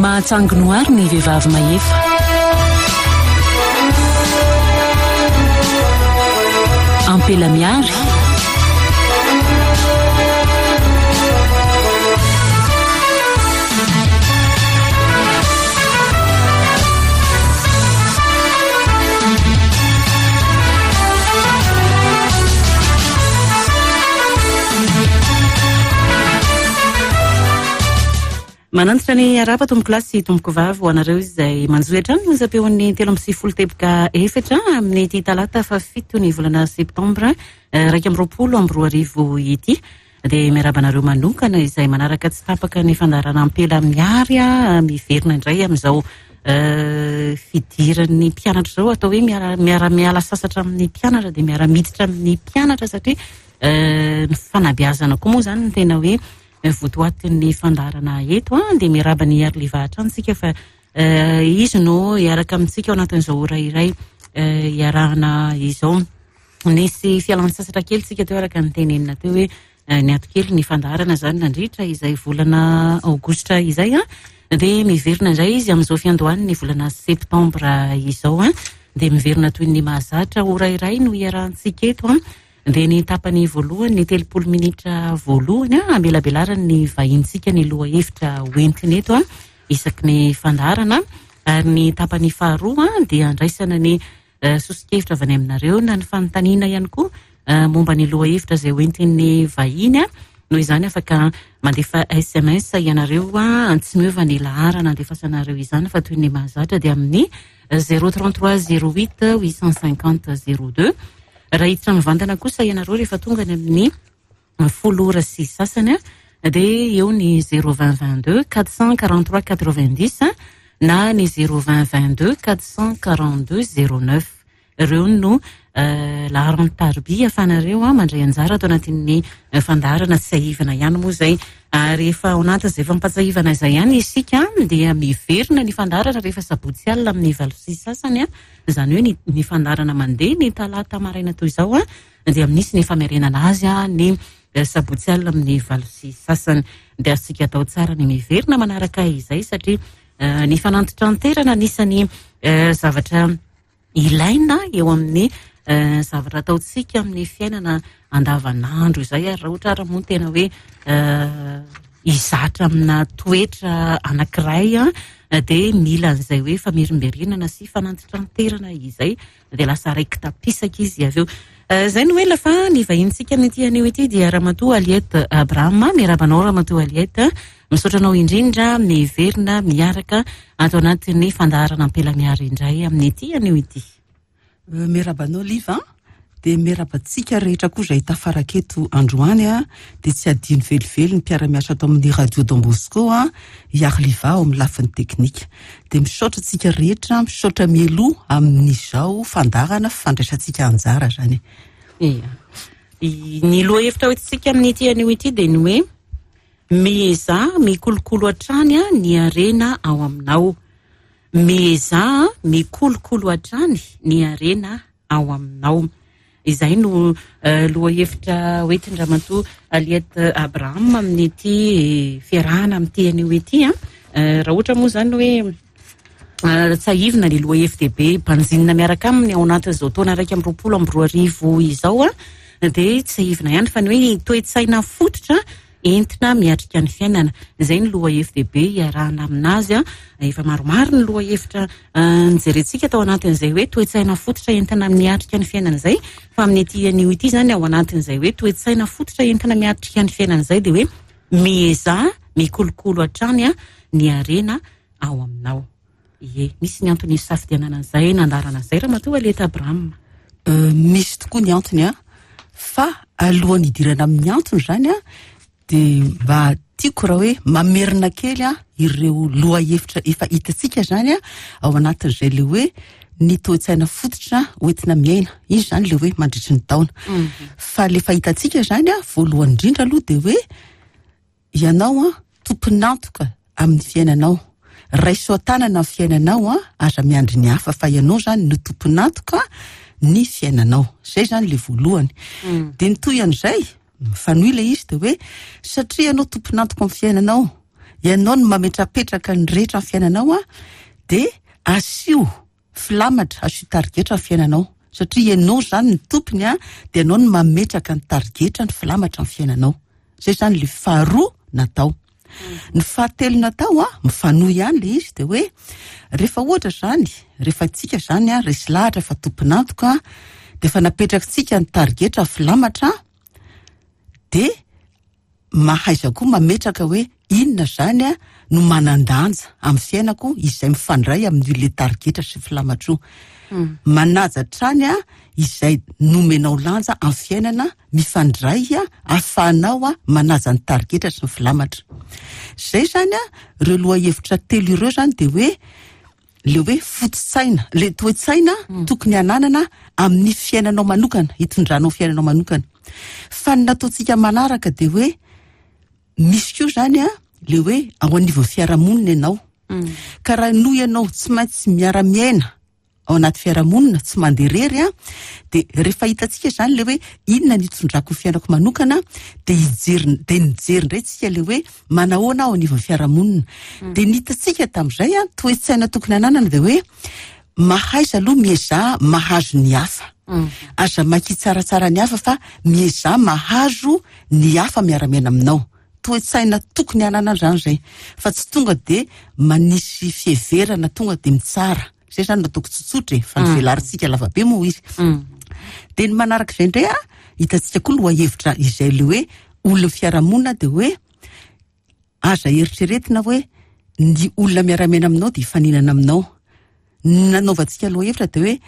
Mahatsangy noary ny vehivavy mahefa. Ampela miary. Manantitra ny arahaba tompokolahy sy tompokovavy ho anareo izay manjohy hatrany ny onjam-peon'ny 93 teboka efatra amin'ity talata fahafito ny volana septambra 2021 ity. Dia miarahaba anareo manokana izay manaraka tsy tapaka ny fandaharana Ampela Miary miverina indray amin'izao fidiran'ny mpianatra izao. Atao hoe miara-miala sasatra amin'ny mpianatra dia miara-miditra amin'ny mpianatra satria ny fanabeazana koa moa izany no tena hoe votoatin'ny fandaharana eto. Dia miarahaba ny Arliva hatrany isika fa izy no hiaraka amintsika ao anatin'izao ora iray hiarahana izao. Nisy fialan-tsasatra kely tsika teo araka ny tenenina teo hoe niato kely ny fandaharana izany nandritra izay volana aogositra izay an. Dia miverina indray izy amin'izao fiandohan'ny volana septambra izao an. Dia miverina toy ny mahazatra ora iray no hiarahantsika eto an. Dia ny tapany voalohany, ny 30 minitra voalohany an, hamelabelaran'ny vahintsika ny lohahevitra hoentiny eto an, isaky ny fandaharana. Ary ny tapany faharoa an, dia andraisana ny soso-kevitra avy any aminareo na ny fanontaniana ihany koa momba ny lohahevitra izay hoentin'ny vahiny. Noho izany afaka mandefa SMS ianareo, tsy miova ny laharana andefasanareo izany fa toy ny mahazatra dia amin'ny zéro trente-trois zéro huit huit cent cinquante zéro deux. Raha hiditra mivantana kosa ianareo rehefa tonga any amin'ny folo ora sy sasany dia eo ny zéro vingt vingt-deux quatre cent quarante-trois quatre-vingt-dix na ny zéro vingt vingt-deux quatre cent quarante-deux zéro neuf. Ireo no laharan'ny tarobia ahafahanareo mandray anjara ato anatin'ny fandaharana. Tsiahivana ihany moa izay, ary efa ao anatin'izay fampatsiahivana izay ihany isika dia miverina ny fandaharana rehefa sabotsy alina amin'ny valo sy sasany, izany hoe ny fandaharana mandeha ny talata maraina toy izao dia misy ny famerenana azy ny sabotsy alina amin'ny valo sy sasany. Dia azontsika atao tsara ny miverina manaraka izay satria ny fanantitranterana anisan'ny zavatra ilaina eo amin'ny zavatra ataontsika amin'ny fiainana andavanandro izay. Ary raha ohatra ary moa tena hoe hizatra amina toetra anankiray dia mila an'izay hoe famerimberenana sy fanantitranterana izay, dia lasa raiki-tapisaka izy avy eo. Izay no ela fa ny vahinintsika amin'ity anio ity dia Ramatoa Aliette Abraham. Miarahaba anao Ramatoa Aliette. Misaotra anao indrindra miverina miaraka ato anatin'ny fandaharana Ampela Miary indray amin'ity anio ity. Miarahaba anao Liva, dia miarahaba antsika rehetra koa izay tafaraka eto androany, dia tsy adino velively ny mpiara-miasa ato amin'ny Radio Don Bosco, i Arliva ao amin'ny lafiny teknika. Dia misaotra antsika rehetra, misaotra mialoha amin'izao fandaharana fandraisantsika anjara izany. Ia. Ny lohahevitra hoentintsika amin'ity anio ity dia ny hoe miezaha mikolokolo hatrany ny harena ao aminao. Miezaha mikolokolo hatrany ny harena ao aminao. Izay no lohahevitra hoentin-dRamatoa Aliette Abraham amin'ity fiarahana amin'ity anio ity. Raha ohatra moa izany hoe tsiahivina ny lohahevi-dehibe banjinina miaraka aminy ao anatin'izao taona 2021 izao, dia tsiahivina ihany fa ny hoe toe-tsaina fototra entina miatrika ny fiainana. Izay ny lohahevi-dehibe iarahana aminazy. Efa maromaro ny lohahevitra nijerentsika tao anatin'izay hoe toe-tsaina fototra entina miatrika ny fiainana izay, fa amin'ity anio ity izany ao anatin'izay hoe toe-tsaina fototra entina miatrika ny fiainana izay dia hoe miezaha mikolokolo hatrany ny harena ao aminao. Ie, misy ny antony nisafidianana an'izay nandaharana an'izay Ramatoa Aliette Abraham. Misy tokoa ny antony an, fa alohan'ny hidirana amin'ny antony izany an, dia mba tiako raha hoe mamerina kely an ireo lohahevitra efa hitantsika izany an ao anatin'izay le hoe ny toe-tsaina fototra hoentina miaina. Izy izany le hoe mandritry ny taona. Fa le fahitantsika izany an, voalohany indrindra aloha dia hoe ianao an tompon'antoka amin'ny fiainanao. Raiso an-tanana ny fiainanao an, aza miandry ny hafa fa ianao izany no tompon'antoka ny fiainanao. Izay izany le voalohany. Dia ny toy an'izay, mifanohy ilay izy dia hoe satria ianao tompon'antoka amin'ny fiainanao, Ianao no mametrapetraka ny rehetra amin'ny fiainanao a, dia asio filamatra, asio tarigetra ny fiainanao. Satria ianao izany ny tompony a, dia ianao no mametraka ny tarigetra, ny filamatra amin'ny fiainanao. Izay izany ilay faharoa natao. Ny fahatelo natao a, mifanohy ihany ilay izy, dia hoe rehefa ohatra izany, rehefa tsika izany a, resy lahatra fa tompon'antoka, dia efa napetrakitsika ny tarigetra, ny filamatra, dia mahaiza koa mametraka hoe inona izany a no manan-danja amin'ny fiainako izay mifandray amin'io le tarigetra sy filamatra io. Manaja hatrany a izay nomenao lanja amin'ny fiainana mifandray a ahafahanao a manaja ny tarigetra sy ny filamatra. Izay izany a, ireo lohahevitra telo ireo izany dia hoe le hoe foto-tsaina, le toe-tsaina tokony hananana amin'ny fiainanao manokana, hitondranao fiainanao manokana. Fa ny nataontsika manaraka dia hoe misy koa izany a, le hoe ao anivon'ny fiarahamonina ianao. Ka raha noho ianao tsy maintsy miara-miaina ao anaty fiarahamonina, tsy mandeha irery a, dia rehefa hitantsika izany le hoe inona ny hitondrako ny fiainako manokana, dia hijery, dia nijery indray tsika le hoe manahoana aho anivon'ny fiarahamonina. Dia ny hitantsika tamin'izay a, toe-tsaina tokony hananana dia hoe mahaiza aloha miezaha mahazo ny hafa. Aza maika hitsaratsara ny hafa fa miezaha mahazo ny hafa miara-miaina aminao. Toe-tsaina tokony hananana izany izay, fa tsy tonga dia manisy fiheverana, tonga dia mitsara. Izay izany no ataoko tsotsotra e, fa ny velarintsika lavabe moa izy. Dia ny manaraka izay indray a, hitantsika koa lohahevitra izay le hoe olon'ny fiarahamonina dia hoe aza eritreretina hoe ny olona miara-miaina aminao dia hifaninana aminao. Ny nanaovantsika lohahevitra dia hoe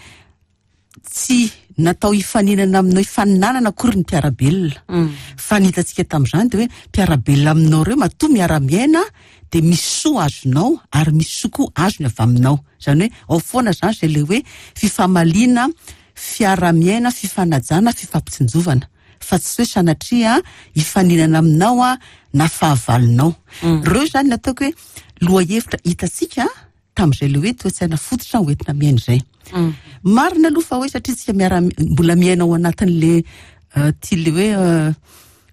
tsy natao hifaninana aminao hifaninanana akory ny mpiara-belona. Fa ny hitantsika tamin'izany dia hoe mpiara-belona aminao ireo matoa miara-miaina dia misy soa azonao ary misy soa koa azony avy aminao. Izany hoe ao foana izany izay ilay hoe fifamaliana, fiara-miaina, fifanajana, fifampitsinjovana. Fa tsy hoe sanatria hifaninana aminao na fahavalonao. Ireo izany ny ataoko hoe lohahevitra hitantsika tamin'izay ilay hoe toe-tsaina fototra ho entina miaina izay. Marina aloha fa hoe satria tsika miara mbola miaina ao anatin'le ty le hoe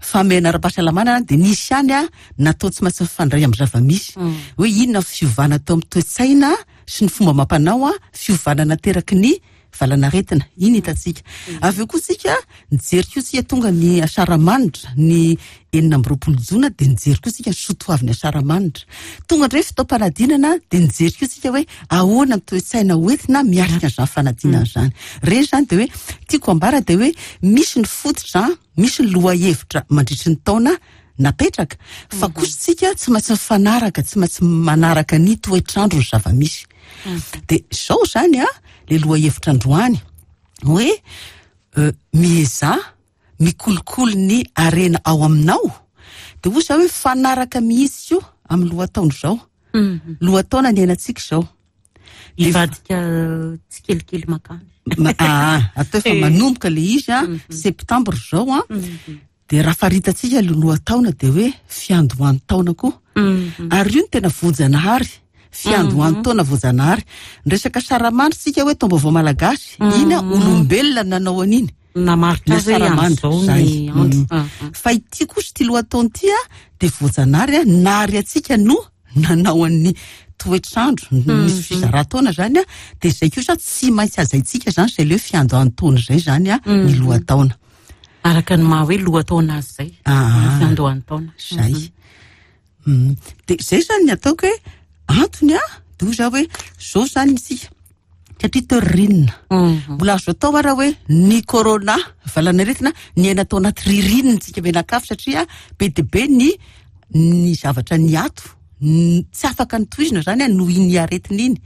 fahamehana ara-pahasalamana dia nisy ihany a natao tsy maintsy mifandray amin'ny zava-misy. Hoe inona ny fiovana tao amin'ny toe-tsaina sy ny fomba amam-panao a, fiovana nateraky ny valanaretina. Iny hitantsika. Avy eo koa tsika nijery koa tsika tonga ny asaramanitra ny 26 jona dia nijery koa tsika ny soatoavin'ny asaramanitra. Tonga indray fotoam-panadinana dia nijery koa tsika hoe ahoana ny toe-tsaina hoentina miatrika an'izany fanadinana izany. Ireny izany dia hoe tiako ambara dia hoe misy ny fototra, misy ny lohahevitra mandritry ny taona napetraka fa kosa tsika tsy maintsy mifanaraka, tsy maintsy manaraka ny toetr'andro ny zava-misy. Dia izao izany a, le lohahevitra androany hoe miezaha mikolokolo ny harena ao aminao. Dia hoy za hoe mifanaraka mihitsy koa amin'ny lohataona izao. Lohataona niainantsika izao. Hivadika tsikelikely makany. Atao efa manomboka le izy a, septembre izao a. Dia raha faritantsika le lohataona dia hoe fiandohan'ny taona koa. Ary io no tena voajanahary. Fiandohan'ny taona voajanahary. Ny resaka saramandry tsika hoe taom-baovao malagasy, iny a olombelona nanao an'iny. Namaritra azy hoe amin'izao ny andro. Fa ity kosa ity lohataona ity a dia voajanahary a, nary antsika no nanao an'ny toetr'andro, nisy fizaran-taona izany a, dia izay kosa tsy maintsy hajaintsika izany izay le hoe fiandohan'ny taona izay izany a, ny lohataona. Araka ny maha hoe lohataona azy izay, ny fiandohan'ny taona. Izay. Dia izay izany ny ataoko hoe antony a, dia hoy zaho hoe izao izany isika, satria teo ririnina. Mbola azo atao ara hoe ny corona, valanaretina, niaina tao anaty ririnina isika mianakavy satria be dia be ny ny zavatra niato, tsy afaka nitohizina izany noho iny aretina iny.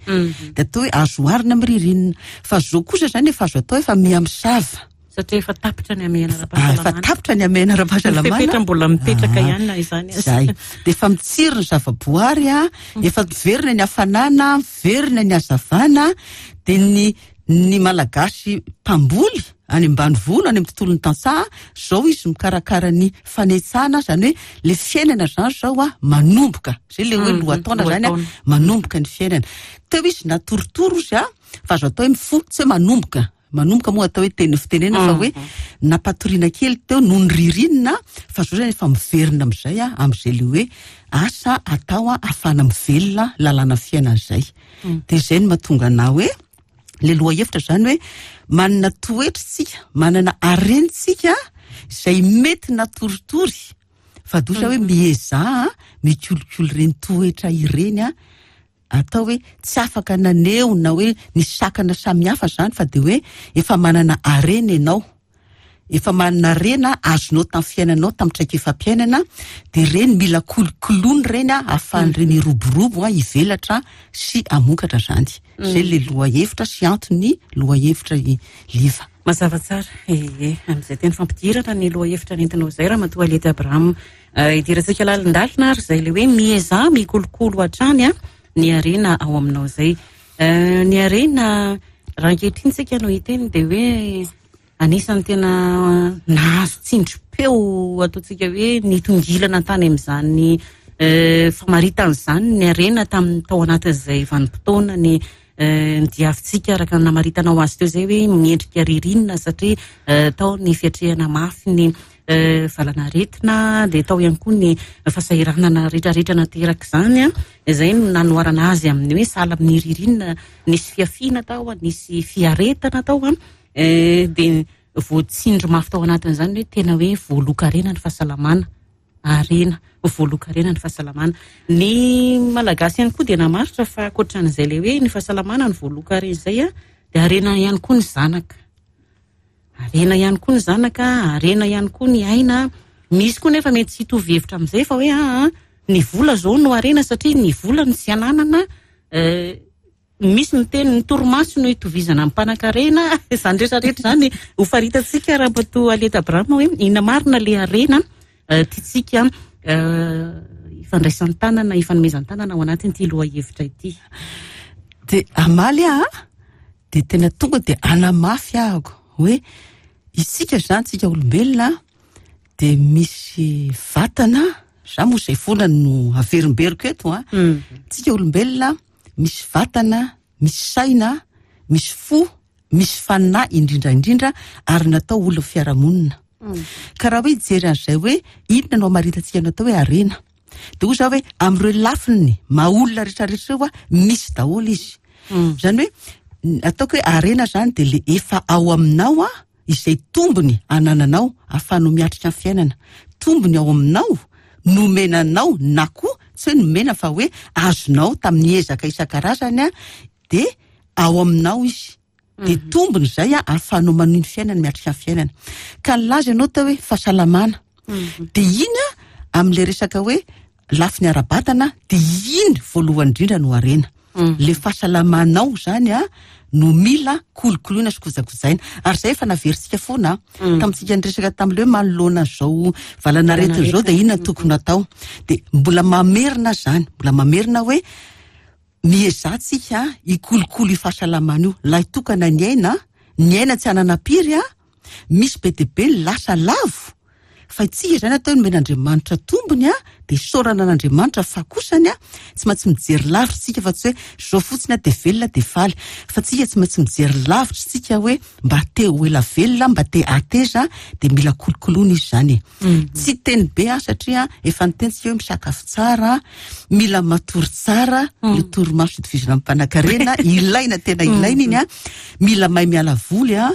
Dia atao hoe azo oharina amin'ny ririnina. Fa izao kosa izany efa azo atao efa miha-misava. Satria efa tapitra ny hamehana ara-pahasalamana. Efa tapitra ny hamehana ara-pahasalamana. Ny fepetra mbola mipetraka ihany na izany aza. Izay. Dia efa mitsiry ny zava-boary, efa miverina ny hafanana, miverina ny hazavana, dia ny ny Malagasy mpamboly any ambanivolo, any amin'ny tontolon'ny tantsaha, izao izy mikarakara ny fanetsana, izany hoe ilay fiainana izany izao manomboka. Izay ilay hoe lohataona izany, manomboka ny fiainana. Teo izy natorotoro izy, fa azo atao hoe mifoha, tsy hoe manomboka. Manomboka moa atao hoe teny fitenenana fa hoe nampatoriana kely teo noho ny ririnina fa zao zany efa miverina amin'izay a, amin'izay le hoe asa atao a ahafahana mivelona lalàna fiainana izay. Dia izay no mahatonga anah hoe le lohahevitra zany hoe manana toetra isika, manana harena isika izay mety natoritory fa dosa hoe miezaha mikolokolo ireny toetra ireny a. Atao hoe tsy afaka naneho na hoe nisy sakana samihafa izany fa dia hoe efa manana harena ianao. Efa manana harena azonao tamin'ny fiainanao, tamin'ny traikefam-piainana, dia ireny mila kolokoloina ireny ahafahan'ireny hiroborobo, hivelatra sy hamokatra izany. Izay ilay lohahevitra sy antony lohahevitra Liva. Mazava tsara. Ee, amin'izay teny fampidirana ny lohahevitra nentinao izay Ramatoa Aliette Abraham. Idirantsika lalindalina ary izay ilay hoe miezaha mikolokolo hatrany ny harena ao aminao izay. Ny harena raha ankehitriny isika no hiteny dia hoe anisan'ny tena nahazo tsindrim-peo ataontsika hoe nitongilana tany amin'izany famaritana izany ny harena tamin'ny tao anatin'izay vanim-potoana ny nidiavintsika araka ny namaritanao azy teo izay hoe miendrika ririnina satria tao ny fiatrehana mafy ny valanaretina dia tao ihany koa ny fahasahiranana rehetrarehetra naterak'izany an, izay no nanoharana azy amin'ny hoe sahala amin'ny ririnina, nisy fihafiana tao, nisy fiaretana tao an, dia voatsindry mafy tao anatin'izany hoe tena hoe voalohan-karena ny fahasalamana, harena, voalohan-karena ny fahasalamana. Ny Malagasy ihany koa dia namaritra fa ankoatran'izay ilay hoe ny fahasalamana no voalohan-karena izay an, dia harena ihany koa ny zanaka. Harena ihany koa ny zanaka, harena ihany koa ny aina. Misy koa nefa mety tsy hitovy hevitra amin'izay fa hoe aa ny vola izao no harena satria ny vola no tsy ananana. Misy miteny ny torimaso no itovizana amin'ny mpanankarena. Izany rehetra rehetra izany ho faritantsika Ramatoa Aliette Abraham hoe inona marina ilay harena tiantsika ifandraisan-tanana, ifanomezan-tanana ao anatin'ity lohahevitra ity. Dia hamaly aho an! Dia tena tonga dia hanamafy ahako hoe isika izany, isika olombelona dia misy vatana, za moa izay foana no averimberiko eto an, isika olombelona misy vatana, misy saina, misy fo, misy fanahy indrindra indrindra ary natao olon'ny fiarahamonina. Ka raha hoe hijery an'izay hoe inona no hamaritantsika ny atao hoe harena, Dia hoy za hoe amin'ireo lafiny maha olona rehetra rehetra ireo misy daholo izy. Izany hoe ataoko hoe harena izany dia le efa ao aminao izay tombony anananao ahafahanao miatrika ny fiainana. Tombony ao aminao nomena anao na koa tsy hoe nomena fa hoe azonao tamin'ny ezaka isan-karazany dia ao aminao izy. Dia tombony izay ahafahanao manohy ny fiainana, miatrika ny fiainana. Ka nilaza ianao teo hoe fahasalamana. Dia iny amin'ilay resaka hoe lafiny ara-batana dia iny voalohany indrindra no harena. Ilay fahasalamanao izany no mila kolokoloina sy kojakojaina. Ary izay efa naverintsika foana tamintsika niresaka tamin'ilay hoe manoloana an'izao valanaretina izao dia inona no tokony hatao. Dia mbola mamerina izany, mbola mamerina hoe Miezaha tsika hikolokolo io fahasalamana io, lahy tokana ny aina, ny aina tsy hananam-piry a, misy be dia be ny lasa lavo, fa itsika izany atao hoe nomen'Andriamanitra tombony a, dia isaorana an'Andriamanitra fa kosany a, tsy maintsy mijery lavitra tsika fa tsy hoe zao fotsiny aho dia velona dia faly, fa tsika tsy maintsy mijery lavitra tsika hoe mba te ho ela velona, mba te hateza dia mila kolokoloina izy izany e. Tsy teny be aho satria efa niteny tsika hoe misakafo tsara, mila matory tsara, io torimaso itovizana amin'ny mpanankarena, ilaina tena ilaina iny an, mila mahay miala voly an,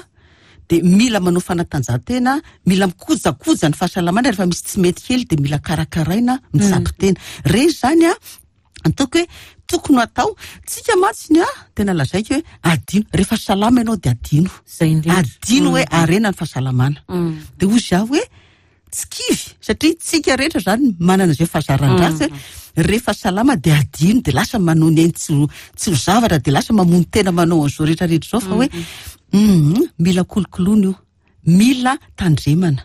dia mila manao fanatanjahantena, mila mikojakoja ny fahasalamana rehefa misy tsy mety kely dia mila karakaraina, mitsabo tena. Ireny izany an, ataoko hoe tokony ho atao. Tsika mantsy ny ahy, tena lazaiko hoe adino, rehefa salama ianao dia adino. Izay indrindra. Adino hoe harena ny fahasalamana. Dia hoy izaho hoe tsy kivy satria tsika rehetra izany manana izay fahazaran-dratsy hoe rehefa salama dia adino dia lasa manao ny ainy tsy ho tsy ho zavatra dia lasa mamono tena manao an'izao rehetra rehetra izao fa hoe mila kolokoloina io. Mila tandremana.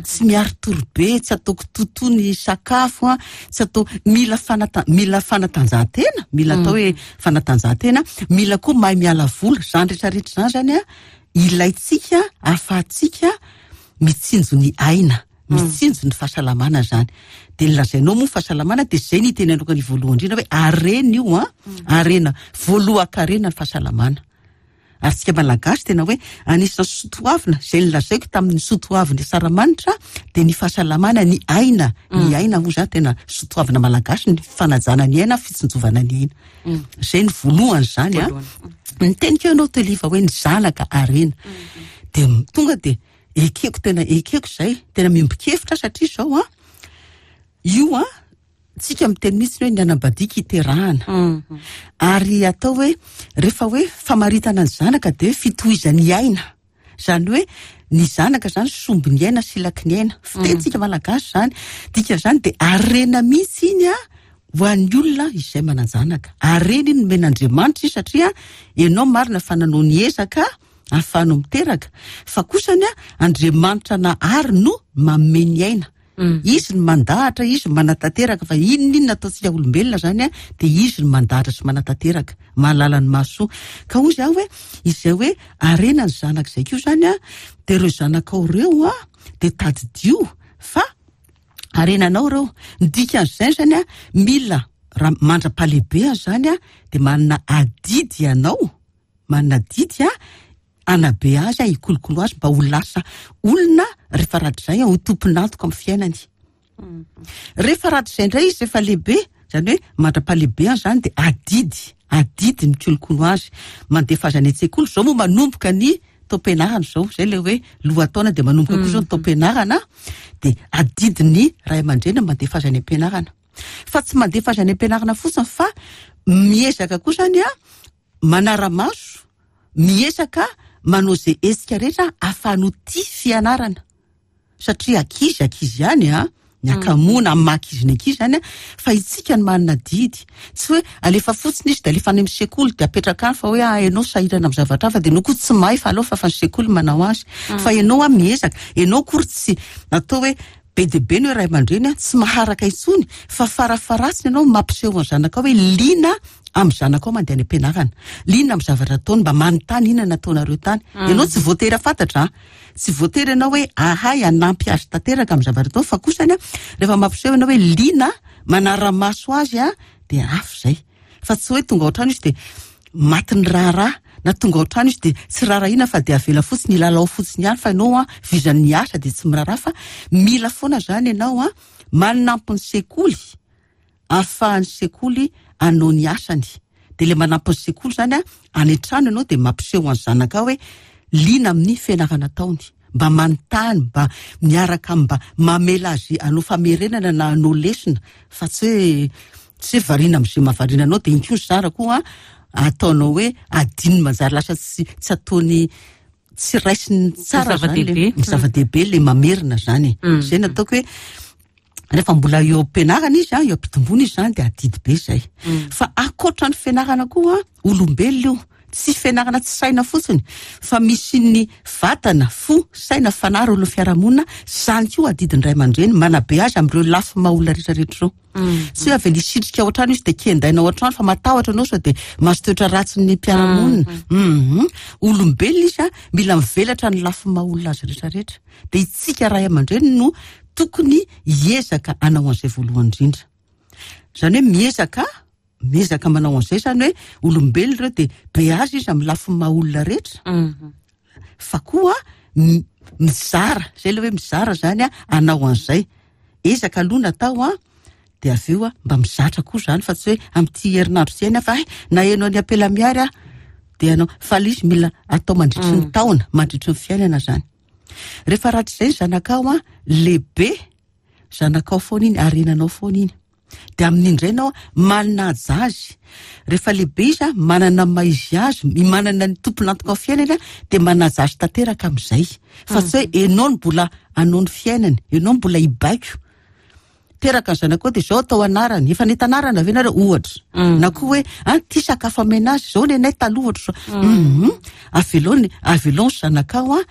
Tsy miari-tory be, tsy atao kitotoa ny sakafo, tsy atao, mila fanata-, mila fanatanjahantena, mila atao hoe fanatanjahantena, mila koa mahay miala voly, izany rehetra rehetra izany izany an, ilaintsika ahafahantsika mitsinjo ny aina, mitsinjo ny fahasalamana izany. Dia ny lazainao moa fahasalamana dia izay no itenenako ny voalohany indrindra hoe harena io an, harena, voalohan-karena ny fahasalamana. Ary tsika Malagasy tena hoe anisan'ny soatoavina, izay nolazaiko tamin'ny soatoavin'ny Asaramanitra dia ny fahasalamana, ny aina, ny aina moa izany tena soatoavina Malagasy, ny fanajana ny aina, fitsinjovana ny aina. Izay ny voalohany izany an. Niteny koa ianao Teliva hoe ny zanaka harena. Dia tonga dia ekeko tena ekeko izay, tena miombon-kevitra satria izao an, io an, Tsika miteny mihitsy hoe ny anabadiaka iterahana. Ary atao hoe rehefa hoe famaritana ny zanaka dia hoe fitohizan'ny aina. Izany hoe ny zanaka izany sombin'ny aina, silaky ny aina. Fitenintsika malagasy izany. Dikan'izany dia harena mihitsy iny an, ho an'ny olona izay manan-janaka. Harena iny nomen'Andriamanitra iny satria ianao marina fa nanao ny ezaka ahafahanao miteraka. Fa kosany an, Andriamanitra nahary no manome ny aina. Izy no mandahatra, izy no manatanteraka fa inona inona ataontsika olombelona zany an, dia izy no mandahatra sy manatanteraka, mahalala ny mahasoa. Ka hoy zaho hoe izay hoe harena ny zanaka izay koa zany an, dia ireo zanakao ireo an, dia tadidio fa harenanao ireo. Ny dikan'izay zany an, mila raha mandra-pahalehibeany zany an, dia manana adidy ianao, manana adidy an, hanabe azy aho, hikolokolo azy mba ho lasa olona rehefa rahatrizay ho tompon'antoka amin'ny fiainany. Rehefa rahatrizay indray izy rehefa lehibe, izany hoe mandra-pahalehibeany izany dia adidy, adidy ny mikolokolo azy, mandefa azy any an-tsekoly, izao moa manomboka ny taom-pianarana izao, izay ilay hoe lohataona dia manomboka koa izao ny taom-pianarana, dia adidin'ny ray aman-dreny ny mandefa azy any am-pianarana. Fa tsy mandefa azy any am-pianarana fotsiny fa miezaka koa izany an, manara-maso, miezaka manao izay hetsika rehetra ahafahany ho tia fianarana. Satria ankizy, ankizy ihany an, ny hakamoana amin'ny maha ankizy ny ankizy izany an, fa isika no manana adidy. Tsy hoe alefa fotsiny izy dia alefa any amin'ny sekoly dia apetraka any fa hoe ah ianao sahirana amin'ny zavatra hafa dia ianao koa tsy mahay fa aleo fa fa ny sekoly manao azy. Fa ianao an miezaka, ianao akory tsy atao hoe be dia be ny hoe ray aman-dreny an tsy maharaka intsony fa farafaharatsiny ianao mampiseho ny zanakao hoe liana amin'ny zanakao mandeha any am-pianarana, liana amin'ny zavatra ataony, mba manontany inona nataonareo tany. Ianao tsy voatery hahafantatra an, tsy voatery ianao hoe ahay hanampy azy tanteraka amin'ny zavatra ataony fa kosany an, rehefa mampiseho ianao hoe liana, manara-maso azy an, dia hafa izay. Fa tsy hoe tonga ao an-trano izy dia matin'ny raharaha na tonga ao an-trano izy dia tsy raharahiana fa dia avela fotsiny hilalao fotsiny ihany fa ianao an, vizan'ny asa dia tsy miraharaha fa mila foana izany ianao an, manampy ny sekoly ahafahan'ny sekoly hanao ny asany. Dia ilay manampy ny sekoly izany an, any an-trano ianao dia mampiseho an'ny zanakao hoe liana amin'ny fianarana ataony. Mba manontany, mba miaraka aminy, mba mamela azy hanao famerenana na hanao lesona fa tsy hoe tsy hoe variana amin'izay mahavariana anao dia iny koa ny zara koa ataonao hoe adinony manjary lasa tsy tsy ataony tsy raisiny tsara zany le zava-dehibe le mamerina zany e. Izay no ataoko hoe rehefa mbola eo am-pianarana izy eo am-pitomboana izy zany dia adidy be izay. Fa ankoatra ny fianarana koa, olombelona io, tsy fianarana tsy saina fotsiny fa misy ny vatana, fo, saina, fanahy, rôle fiarahamonina, izany koa adidin'ny ray aman-dreny manabe azy amin'ireo lafiny maha olona rehetra rehetra ireo. Tsy hoe avy nisitrika ao an-trano izy dia kendaina ao an-trano fa matahotra anao sao dia mahazo toetra ratsin'ny mpiara-monina. Olombelona izy mila mivelatra ny lafiny maha olona azy rehetra rehetra. Dia isika ray aman-dreny no tokony hiezaka hanao an'izay voalohany indrindra. Izany hoe miezaka, miezaka manao an'izay izany hoe olombelona ireo dia beazy izy amin'ny lafiny maha olona rehetra. Fa koa mizara, izay ilay hoe mizara izany hanao an'izay. Ezaka aloha natao an, dia avy eo mba mizatra koa izany fa tsy hoe amin'ity herinandro ity ihany aho fa hay naheno an'i Ampela Miary aho dia hanao. Fa ilay izy mila atao mandritry ny taona, mandritry ny fiainana izany. Rehefa rahatrizay ny zanakao an, lehibe, zanakao foana iny, harenanao foana iny. Dia amin'iny indray ianao manaja azy. Rehefa lehibe izy an, manana ny maha izy azy, manana ny tompon'antoka amin'ny fiainany an, dia manaja azy tanteraka amin'izay. Fa tsy hoe ianao no mbola hanao ny fiainany, ianao no mbola hibaiko. Teraka ny zanakao dia izao atao anarany, efa nahita anarana ve nareo ohatra? Na koa hoe an, ity sakafo amena azy, izao ny anay taloha ohatra izao. Avelao ny, avelao ny zanakao an,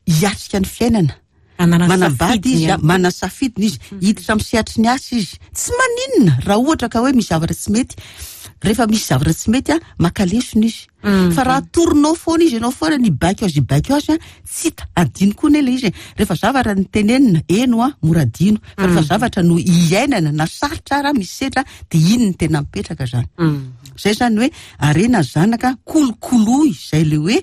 hiatrika ny fiainana. Manambady izy, manana safidiny izy, hiditra amin'ny sehatry ny asa izy. Tsy maninona raha ohatra ka hoe misy zavatra tsy mety. Rehefa misy zavatra tsy mety a, maka lesona izy. Fa raha atoronao foana izy, ianao foana ny hibaiko azy hibaiko azy a, tsy hita, adino koa anie ilay izy e. Rehefa zavatra no tenenina, eny hoa, mora adino. Fa rehefa zavatra no iainana na sarotra ara, misedra, dia iny no tena mipetraka izany. Izay izany hoe harena ny zanaka, kolokoloy izay ilay hoe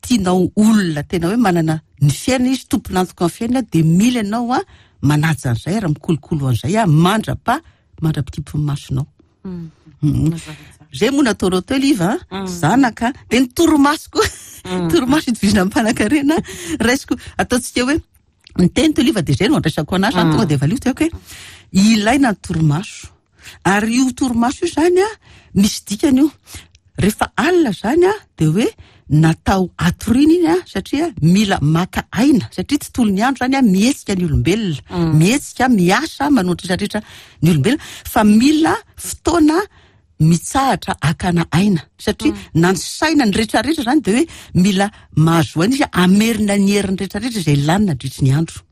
tianao olona tena hoe manana ny fiainana izy, tompon'antoka amin'ny fiainana, dia mila ianao a manaja an'izay ary mikolokolo an'izay a mandrapa mandra-pikipin'ny masonao. Zay moa nataonao teo Liva a, zanaka, dia ny torimaso koa, torimaso itovizana amin'ny mpanankarena, raisiko, ataontsika hoe ny teny teo Liva dia zay no andraisako anazy, zany tonga dia valio tiako hoe ilaina ny torimaso. Ary io torimaso io zany a, misy dikany io. Rehefa alina zany a, dia hoe natao hatoriana iny a, satria mila maka aina, satria tontolon'ny andro zany a, mihetsika ny olombelona, mihetsika, miasa, manao ny rehetra rehetra ny olombelona, fa mila fotoana mitsahatra hakana aina, satria na ny saina, ny rehetra rehetra zany dia hoe mila mahazo aina izy hamerina ny heriny rehetra rehetra izay lany nandritry ny andro.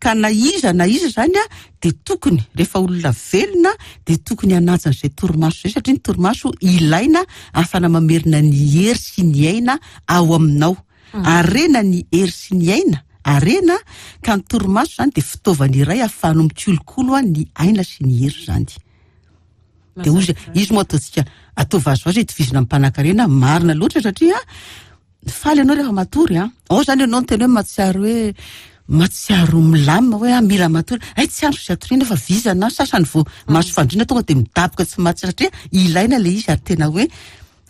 Ka na iza na iza izany dia tokony, rehefa olona velona, dia tokony hanaja an'izay torimaso izay, satria ny torimaso ilaina ahafahana mamerina ny hery sy ny aina ao aminao. Harena ny hery sy ny aina, harena, ka ny torimaso izany dia fitaovana iray ahafahanao mikolokolo ny aina sy ny hery izany. Dia hoy izy, izy moa ataontsika, atao vazivazy itovizana amin'ny mpanankarena, marina loatra satria Faly ianao rehefa matory an. Ao zany ianao ny tena hoe mahatsiaro hoe mahatsiaro milamina hoe ah mila matory. Hay tsy andro izay atoriana fa vizana, sasany vao mahazo fandriana tonga dia midaboka tsy mahatsiaro satria ilaina ilay izy ary tena hoe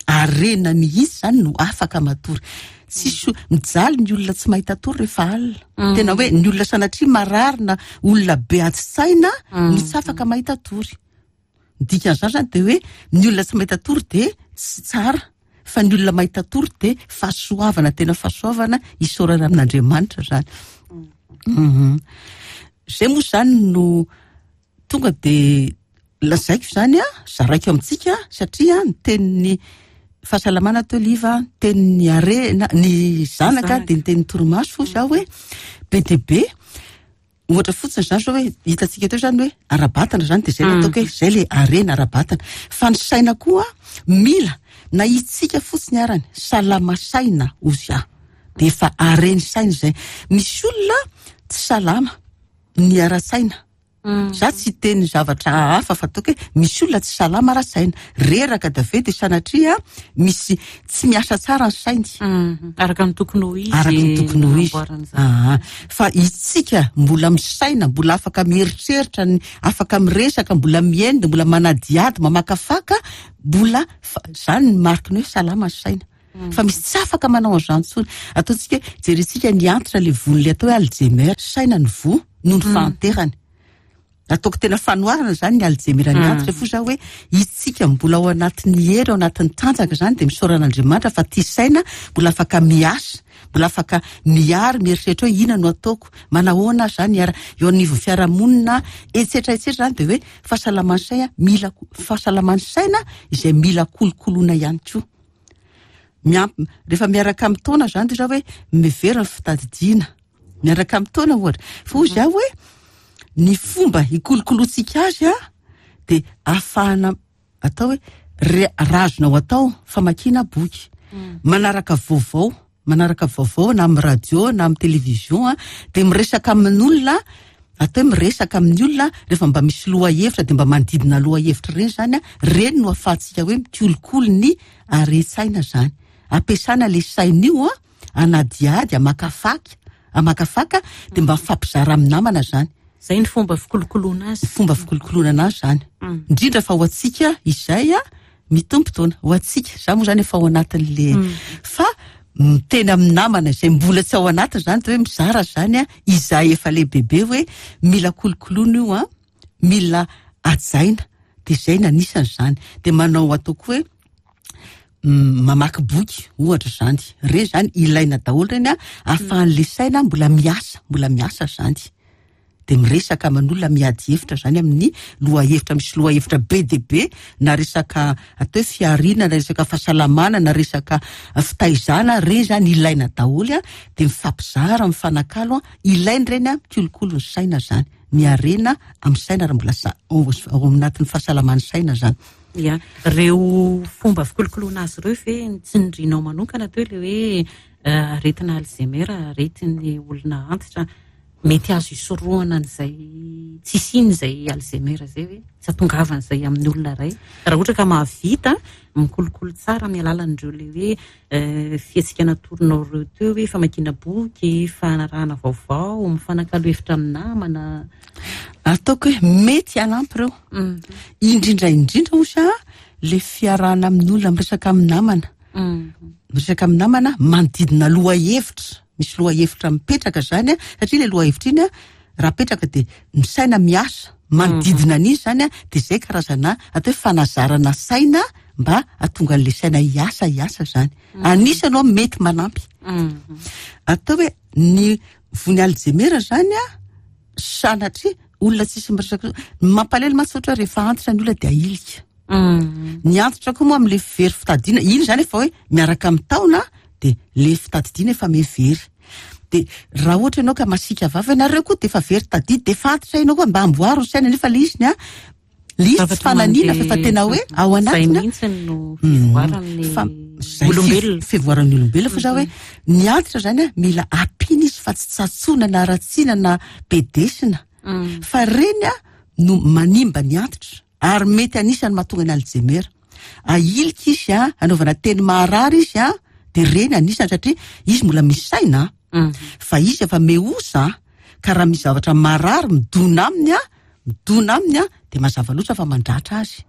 harena mihitsy zany no afaka matory. Tsisy mijaly ny olona tsy mahita tory rehefa alina. Tena hoe ny olona sanatria marary na olona be adi-tsaina no tsy afaka mahita tory. Ny dikan'izany zany dia hoe ny olona tsy mahita tory dia tsy tsara fa ny olona mahita tory dia fahasoavana, tena fahasoavana isaorana amin'Andriamanitra zany. Izay moa zany no tonga dia lazaiko zany a, zaraiko amintsika satria ny tenin'ny fahasalamana teo Liva, ny tenin'ny harena, ny zanaka dia ny tenin'ny torimaso hoy zaho hoe be dia be. Ohatra fotsiny izany zao hoe hitantsika teo izany hoe ara-batana izany dia izay no ataoko hoe izay ilay harena ara-batana. Fa ny saina koa mila na itsika fotsiny arany salama saina hozy aho dia efa hareny saina izay. Misy olona tsy salama ny ara-tsaina. Za tsy hiteny zavatra hafa fa ataoko hoe misy olona tsy salama ara-tsaina. Reraka dia avy eo dia sanatria misy tsy miasa tsara ny sainy. Araka ny tokony ho izy. Araka ny tokony ho izy. Aa, fa isika mbola misaina, mbola afaka mieritreritra, afaka miresaka, mbola mihaino, dia mbola manadihady, mamakafaka, mbola fa zany ny mariky ny hoe salama ny saina. Fa misy tsy afaka manao an'izany intsony. Ataontsika hoe jerentsika ny antitra ilay voan'ilay atao hoe Alzheimer, saina ny voa noho ny fahanterany. Ataoko tena fanoharana izany ny Alzheimer ny antitra fo za hoe isika mbola ao anatin'ny hery, ao anatin'ny tanjaka izany dia misaora an'Andriamanitra fa tia saina, mbola afaka miasa, mbola afaka miary, mieritreritra hoe inona no ataoko, manahoana aho izany hiara eo anivon'ny fiarahamonina, etsetra etsetra izany dia hoe fahasalaman'ny saina mila fahasalaman'ny saina izay mila kolokoloina ihany koa. Miampy rehefa miaraka amin'ny taona izany dia hoe miverina ny fitadidiana. Miaraka amin'ny taona ohatra. Fa hoy izaho hoe ny fomba hikolokoloantsika azy a dia ahafahana atao hoe re- raha azonao atao famakiana boky, manaraka vaovao, manaraka vaovao na amin'ny radio na amin'ny télévision a, dia miresaka amin'olona, atao hoe miresaka amin'ny olona rehefa mba misy lohahevitra dia mba manodidina lohahevitra ireny izany a, ireny no ahafahantsika hoe mikolokolo ny haren-tsaina izany. Ampiasana ilay saina io a, hanadihady, hamakafaka, hamakafaka dia mba mifampizara amin'ny namana izany. Izay ny fomba fikolokoloana azy. Ny fomba fikolokoloana anazy izany. Indrindra fa ho antsika izay mitombo taona, ho antsika, za moa izany efa ao anatin'le fa miteny amin'ny namana izay mbola tsy ao anatiny izany dia hoe mizara izany izay efa lehibebe hoe mila kolokoloana io an, mila hajaina, dia izay no anisan'izany. Dia manao ataoko hoe mamaky boky ohatra izany, ireny izany ilaina daholo ireny an, ahafahan'ilay saina mbola miasa, mbola miasa izany. Dia miresaka aman'olona, miady hevitra izany amin'ny lohahevitra, misy lohahevitra be dia be, na resaka atao hoe fihariana, na resaka fahasalamana, na resaka fitaizana, ireny izany ilaina daholo an, dia mifampizara, mifanakalo an, ilaina ireny an, mikolokolo ny saina izany, miharena amin'ny saina raha mbola ao anatin'ny fahasalaman'ny saina izany. Ia, ireo fomba fikolokoloana azy ireo ve ny tsindrinao manokana teo ilay hoe aretina Alzheimer, aretin'ny olona antitra, mety azo isorohana an'izay tsy hisian'izay Alzheimer izay ve? Tsy hahatongavan'izay amin'ny olona iray? Raha ohatra ka mahavita mikolokolo tsara amin'ny alalan'ireo ilay hoe fihetsika natoronao ireo teo hoe famakiana boky, fanarahana vaovao, mifanakalo hevitra amin'ny namana. Ataoko hoe mety hanampy ireo. Indrindra indrindra osa le fiarahana amin'olona, miresaka amin'ny namana. Miresaka amin'ny namana manodidina lohahevitra. Misy lohahevitra mipetraka zany, satria le lohahevitra iny raha apetraka dia ny saina miasa manodidina an'izy zany, dia zay karazana atao hoe fanazarana saina mba hahatonga an'le saina hiasa, hiasa zany. Anisany aloha mety manampy. Atao hoe ny vony Alzheimer zany sanatria olona tsisy miresaka. Ny mampalahelo mantsy ohatra rehefa antitra ny olona dia ahilika. Ny antitra koa moa amin'le very fitadidiana, iny zany efa hoe miaraka amin'ny taona dia le fitadidiana efa miha very. Dia raha ohatra ianao ka masiaka vava ianareo koa dia efa very tadidy, dia efa antitra ianao koa mba amboaro ny saina nefa le izy ny a, le izy tsy fananiana fa efa tena hoe ao Zay anatiny a. mihitsy no fivoaran'ny Fa zay olombelona. fivoaran'ny olombelona fa za hoe ny antitra zany a mila ampiana izy fa tsy tsatsoana na ratsiana na bedesina. Fa reny a no manimba ny antitra ary mety anisan'ny mahatonga ny Alzheimer. Ahilika izy a, anaovana teny maharary izy a, dia reny anisany satria izy mbola misy saina a. Fa izy efa mehosa a, ka raha misy zavatra marary midona aminy a, midona aminy a, dia mazava loatra fa mandratra azy.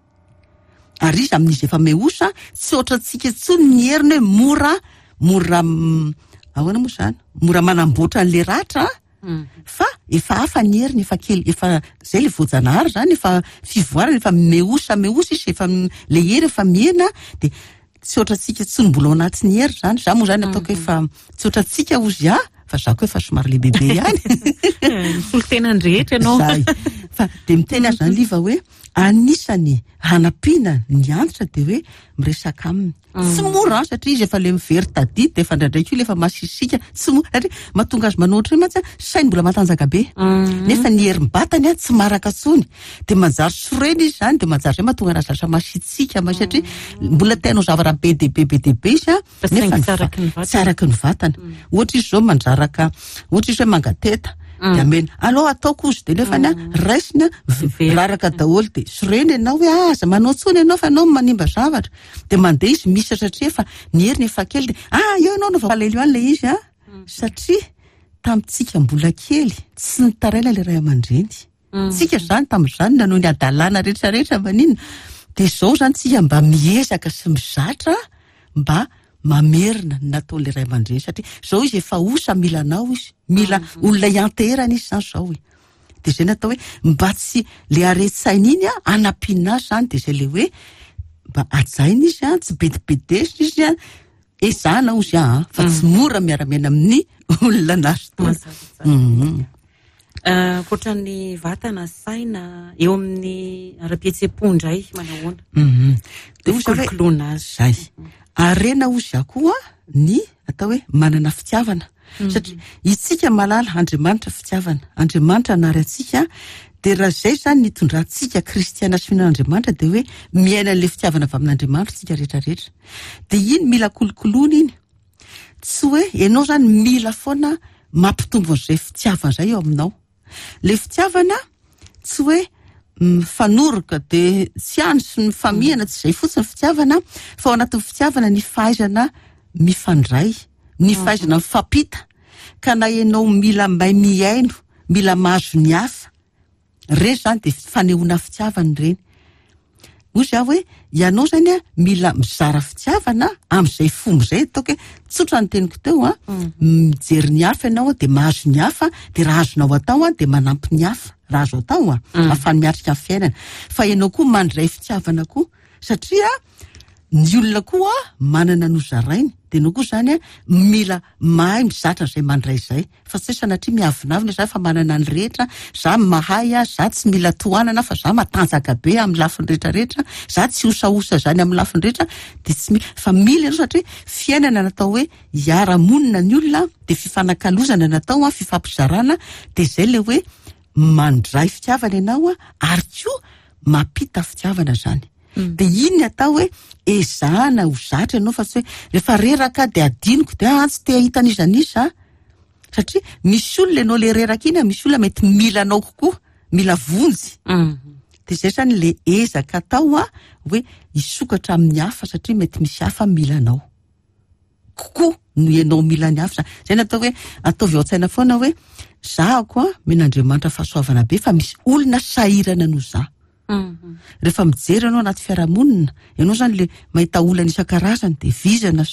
Ary izy amin'izy efa mehosa, tsy ohatrantsika intsony ny heriny hoe mora, mora, ahoana moa izany? Mora manamboatra an'ilay ratra a. Fa efa hafa ny heriny, efa kely, efa zay le voajanahary zany, efa fivoarana, efa mehosa, mehosa izy, efa le hery efa mihena, dia tsy ohatrantsika tsy mbola ao anatin'ny hery zany. Za moa zany ataoko efa tsy ohatrantsika ozy ahy, fa za koa efa somary lehibebe ihany. Misolo tena ny rehetra ianao. Zay. Fa dia miteny aho zany Liva hoe anisany hanampiana ny antitra dia hoe miresaka aminy. Tsy mora an, satria izy efa le mivery tadidy dia efa indraindray koa le efa masisika, tsy mora satria mahatonga azy manao ohatran'io mantsy an, sainy mbola matanjaka be. Nefa ny herim-batany an tsy maraka intsony. Dia manjary sorena izy izany, dia manjary izay mahatonga anazy lasa masitsika, ma-, satria mbola te hanao zavatra be dia be, be dia be izy an, Fa saingy nefa ny tsy araky ny vatana. tsy araky ny vatana. Ohatra izy izao mandraraka, ohatra izy hoe mangateta, dia amena, aleo ataoko ozy, dia nefany an, raisiny an, raraka daholo, dia sorena ianao hoe aza manao intsony ianao fa ianao no manimba zavatra. Dia mandeha izy misatra satria efa ny heriny efa kely, dia ah eo ianao no vao aleo ilay izy an, satria tamintsika mbola kely tsy nitaraina ilay ray aman-dreny. Tsika izany tamin'izany nanao ny hadalana rehetrarehetra maninona. Dia izao izany tsika mba miezaka sy mizatra mba mamerina ny nataon'ilay ray aman-dreny, satria izao izy efa osa mila anao izy, mila olona hianteherana izy izany izao e. Dia izay natao hoe mba tsy le aretin-tsaina iny a, hanampiana azy izany, dia izay le hoe mba hajaina izy a, tsy bedibedesina izy a, ezahana ozy a, fa tsy mora miara-miaina amin'ny olona nahazo taona. Mazava tsara. Ankoatra ny vatana, saina, eo amin'ny ara-pihetseham-po indray, manahoana? Dia ozy hoe Fikolokoloana azy. Zay. Harena ozy aho koa ny atao hoe manana fitiavana. Satria isika mahalala Andriamanitra fitiavana, Andriamanitra nary antsika, dia raha izay izany nitondrantsika kristiana sy mino an'Andriamanitra dia hoe miaina an'ilay fitiavana avy amin'Andriamanitra isika rehetrarehetra. Dia iny mila kolokoloana iny. Tsy hoe ianao izany mila foana mampitombo an'izay fitiavana izay eo aminao. Ilay fitiavana tsy hoe mifanoroka dia tsy any sy mifamihana, tsy izay fotsiny fitiavana, fa ao anatin'ny fitiavana ny fahaizana mifandray, ny fahaizana mifampita. Ka na ianao mila mahay mihaino, mila mahazo ny hafa, ireny izany dia fanehoana fitiavana ireny. Hoy izaho hoe ianao izany a, mila mizara fitiavana amin'izay fomba izay, ataoko hoe tsotra ny teniko teo a, mijery ny hafa ianao a, dia mahazo ny hafa, dia raha azonao atao a, dia manampy ny hafa, raha azo atao a, ahafahany miatrika ny fiainana. Fa ianao koa mandray fitiavana koa, satria ny olona koa manana ny hozarainy, dia ianao koa izany a, mila mahay mizatra izay mandray izay. Fa tsy hoe sanatria miavonavona za fa manana ny rehetra, za mahay aho, za tsy mila tohanana fa za matanjaka be amin'ny lafiny rehetrarehetra, za tsy osaosa zany amin'ny lafiny rehetra, dia tsy mila, fa mila ianao satria fiainana natao hoe hiara-monina ny olona, dia fifanakalozana natao, fifampizarana, dia izay ilay hoe mandray fitiavana ianao ary koa mampita fitiavana zany. De iny ny atao hoe ezahana ho zatra ianao fa tsy hoe rehefa reraka aho de adinoko de ah tsy te hahita an'iza n'iza aho. Satria misy olona ianao le reraka iny, misy olona mety mila anao kokoa, mila vonjy. De zay zany le ezaka atao a, hoe hisokatra amin'ny hafa satria mety misy hafa mila anao kokoa noho ianao mila ny hafa. Zay no atao hoe ataovy ao an-tsaina foana hoe zahako a, omen'Andriamanitra fahasoavana be fa misy olona sahirana noho za. Rehefa mijery ianao anaty fiarahamonina, ianao zany le mahita olana isan-karazany de vizana,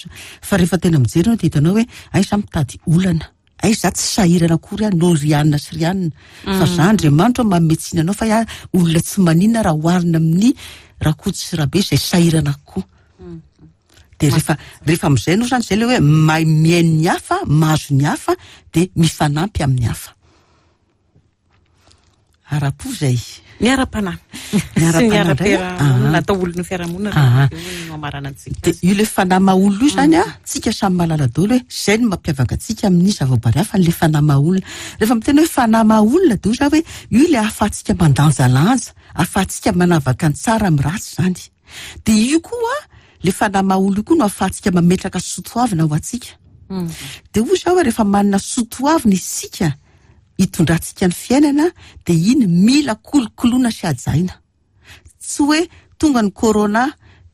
fa rehefa tena mijery ianao de hitanao hoe ay za mitady olana, ay za tsy sahirana akory aho noho ry anona sy ry anona, fa za Andriamanitra manome tsiny anao fa ahy olona tsy maninona raha oharina amin'ny Rakoto sy Rabe izay sahirana kokoa. De rehefa amin'izay ianao zany, zay le hoe mahay mihaino ny hafa, mahazo ny hafa, de mifanampy amin'ny hafa. Ara-po izay. Ny ara-panahy. Ny Sy ny ara-panahy indray, ah. ara-piarahamonina, atao olon'ny fiarahamonina Ah. raha eo no amaranantsika De azy. io le fanahy maha olona io zany a, tsika samy mahalala daholo hoe zay no mampiavaka antsika amin'ny zavaboary hafa, le fanahy maha olona. Rehefa miteny hoe fanahy maha olona de hoy za hoe io le ahafahantsika mandanjalanja, ahafahantsika manavaka ny tsara amin'ny ratsy zany. De io koa le fanahy maha olona io koa no ahafahantsika mametraka soatoavina ho antsika. De hoy za hoe rehefa manana soatoavina isika hitondrantsika ny fiainana de iny mila kolokoloina sy hajaina. Tsy hoe tonga ny corona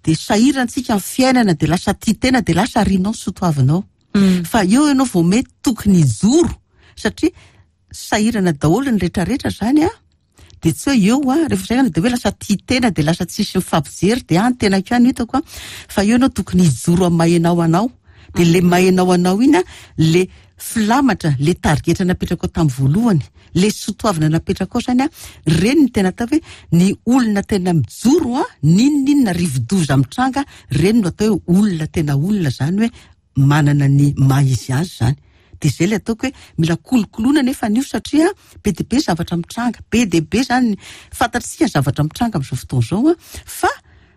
de sahirantsika ny fiainana de lasa tia tena de lasa arinao ny soatoavinao. Fa eo ianao vao mety tokony hijoro satria sahirana daholo ny rehetrarehetra zany a. De tsy hoe eo a, rehefa sahirana de hoe lasa tia tena de lasa tsisy mifampijery de ah, ny tenako ihany hitako a. Fa eo ianao tokony hijoro amin'ny maha ianao anao. De le maha ianao anao iny a, le filamatra, le tarigetra napetraka ao tamin'ny voalohany, le soatoavina napetraka ao zany a, reny ny tena atao hoe ny olona tena mijoro a, n'inon'inona rivodoza mitranga, reny no atao hoe olona tena olona zany hoe manana ny maha izy azy zany. De zay le ataoko hoe mila kolokoloina nefa an'io satria be dia be zavatra mitranga, be dia be zany fantatsika ny zavatra mitranga amin'izao fotoana izao a, fa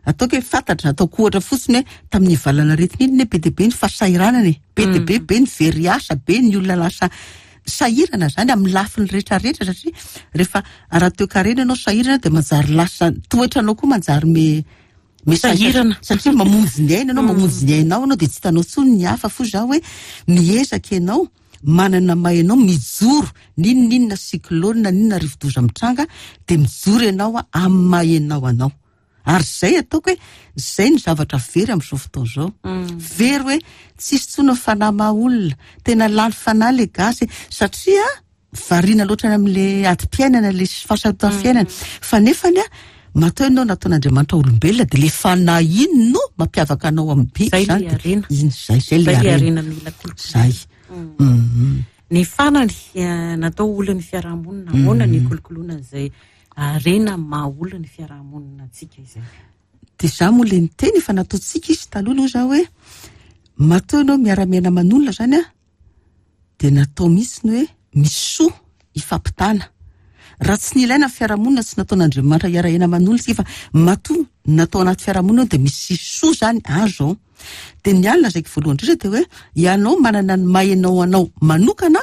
ataoko hoe fantatra, ataoko ohatra fotsiny hoe tamin'ny valanaretina iny ne be dia be ny fahasahiranana e, be dia be, be ny very asa, be ny olona lasa sahirana zany amin'ny lafiny rehetrarehetra satria rehefa ara-toekarena ianao sahirana de manjary lasa toetranao koa manjary me me Sahirana. satria mamonjy ny aina ianao, mamonjy ny ainao ianao de tsy hitanao intsony ny hafa fo za hoe miezaka ianao manana maha ianao mijoro n'inon'inona cyclone n'inona rivodoza mitranga de mijoro ianao a amin'ny maha ianao anao. Ary zay ataoko hoe zay ny zavatra very amin'izao fotoana izao. Very hoe tsisy intsony ny fanahy maha olona, tena lany fanahy le gasy satria variana loatra any amin'le adim-piainana, le fahasarotan'ny fiainana. Fa nefany a, matoa ianao nataon'Andriamanitra olombelona de le fanahy iny no mampiavaka anao amin'ny biby Zay le zany de harena. iny zay, zay le Zay le harena. harena mila kolokoloina. Zay. Ny fanany, natao olon'ny fiarahamonina, ahoana ny kolokoloina an'izay harena maha olona ny fiarahamonina antsika izay? De za moa le niteny efa nataontsika izy taloha aloha za hoe matoa ianao miara-miaina aman'olona zany a, de natao mihitsy ny hoe misy soa ifampitana. Raha tsy nilaina ny fiarahamonina, tsy nataon'Andriamanitra hiara-hiaina aman'olona isika, fa matoa natao anaty fiarahamonina eo de misy soa zany azo ao. De ny alina zaiko voalohany indrindra de hoe ianao manana ny maha ianao anao manokana,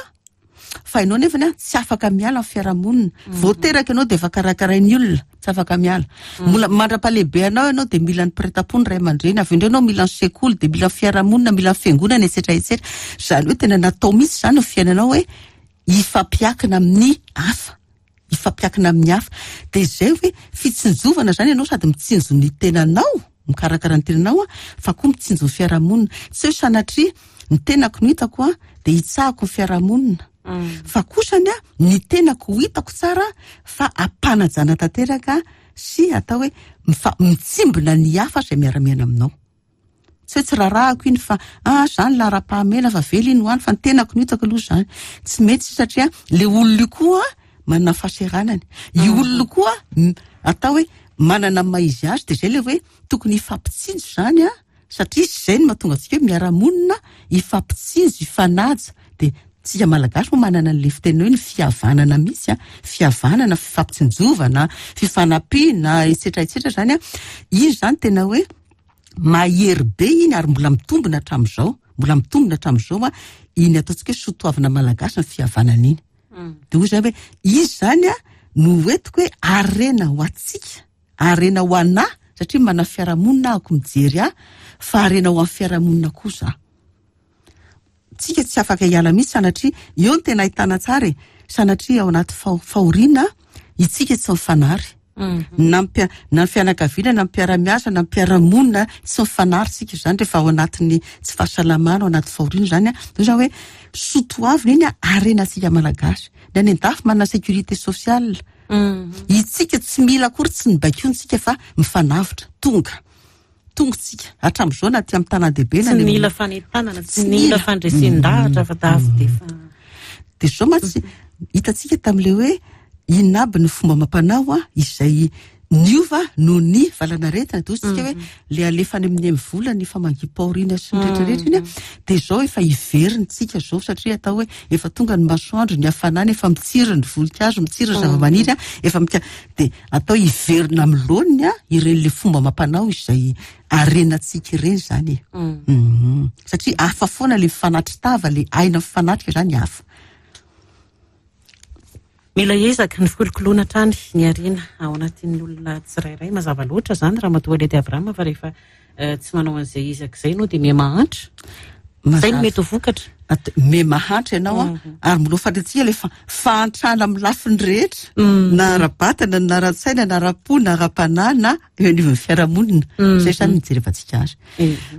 fa ianao nefany a tsy afaka miala amin'ny fiarahamonina. Vao teraka ianao de efa karakarain'ny olona, tsy afaka miala. Mbola mandra-pahalehibe anao ianao de mila ny mpiray-tampo ny ray aman-dreny, avy eo indray ianao mila ny sekoly, de mila ny fiarahamonina, mila ny fiangonana, et cetera, et cetera. Zany hoe tena natao mihitsy zany ny fiainanao hoe hifampiakina amin'ny hafa, hifampiakina amin'ny hafa. De zay hoe fitsinjovana zany ianao sady mitsinjo ny tenanao, mikarakara ny tenanao a, fa koa mitsinjo ny fiarahamonina. Tsy hoe sanatria ny tenako no hitako a, de hitsahako ny fiarahamonina. Fa kosany a, ny tenako ho hitako tsara fa ampanajana tanteraka sy atao hoe mitsimbina ny hafa izay miara-miaina aminao. Tsy hoe tsy rarahako iny fa, ah, zany laharam-pahamehana fa vely iny ho any, fa ny tenako no hitako aloha zany. Tsy mety satria le olona io koa manana fahaseranany. Io olona io koa atao hoe manana ny maha izy azy, de zay le hoe tokony hifampitsinjo zany a, satria zay no mahatonga antsika hoe miara-monina, hifampitsinjo, hifanaja. De tsika malagasy moa manana an'le fiteny hoe ny fihavanana mihitsy a, fihavanana, fifampitsinjovana, fifanampiana, et cetera, et cetera zany a. Iny zany tena hoe mahery be iny ary mbola mitombina hatramin'izao, mbola mitombina hatramin'izao a, iny ataontsika hoe soatoavina malagasy ny fihavanana iny. De hoy zay hoe izy zany a no hoentiko hoe harena ho antsika, harena ho anahy. satria manana fiarahamonina ahako mijery ahy fa harena ho an'ny fiarahamonina koa za. Tsika tsy afaka hiala mihitsy sanatria, eo no tena ahitana tsara e, sanatria ao anaty fahoriana itsika tsy mifanary. Na na ny fianakaviana, na ny mpiara-miasa, na ny mpiara-monina, tsy mifanary tsika izany rehefa ao anatin'ny tsy fahasalamana, ao anaty fahoriana izany. Dia izany hoe soa toavina iny harenantsika Malagasy. Ny any an-dafy manana sécurité sociale. Itsika tsy mila akory tsy ny baikointsika fa mifanavotra. Tonga. Tonga tsika. Hatramin'izao na aty amin'ny tanàn-dehibe na Tsy mila fanentanana, tsy mila fandresen-dahatra fa tafo dia efa. Dia izao mantsy hitantsika tamin'ilay hoe inona aby ny fomba amam-panao izay niova noho ny valanaretina. Dia hoy isika hoe ilay alefa any amin'ny MVola ny famangiam-pahoriana sy ny rehetra rehetra iny dia izao efa hiverina tsika izao satria atao hoe efa tonga ny masoandro, ny hafanana, efa mitsiry ny voninkazo, mitsiry ny zava-maniry, efa mika-, dia atao hiverina amin'ny laoniny ireny ilay fomba amam-panao izay arenantsika ireny izany e. Satria hafa foana ilay mifanatri-tava, ilay aina mifanatrika izany hafa. Mila ezaka ny fikolokoloana hatrany ny harena ao anatin'ny olona tsirairay. Mazava loatra izany Ramatoa Ledy Abraham fa rehefa tsy manao an'izay ezaka izay ianao dia miha mahantra. Izay no mety ho vokatra. Miha mahantra ianao an, ary mbola ho fantatsika ilay fahantrana amin'ny lafiny rehetra, na ara-batana, na ara-tsaina, na ara-po, na ara-panahy, na eo anivon'ny fiarahamonina. Izay izany no ijerevantsika azy.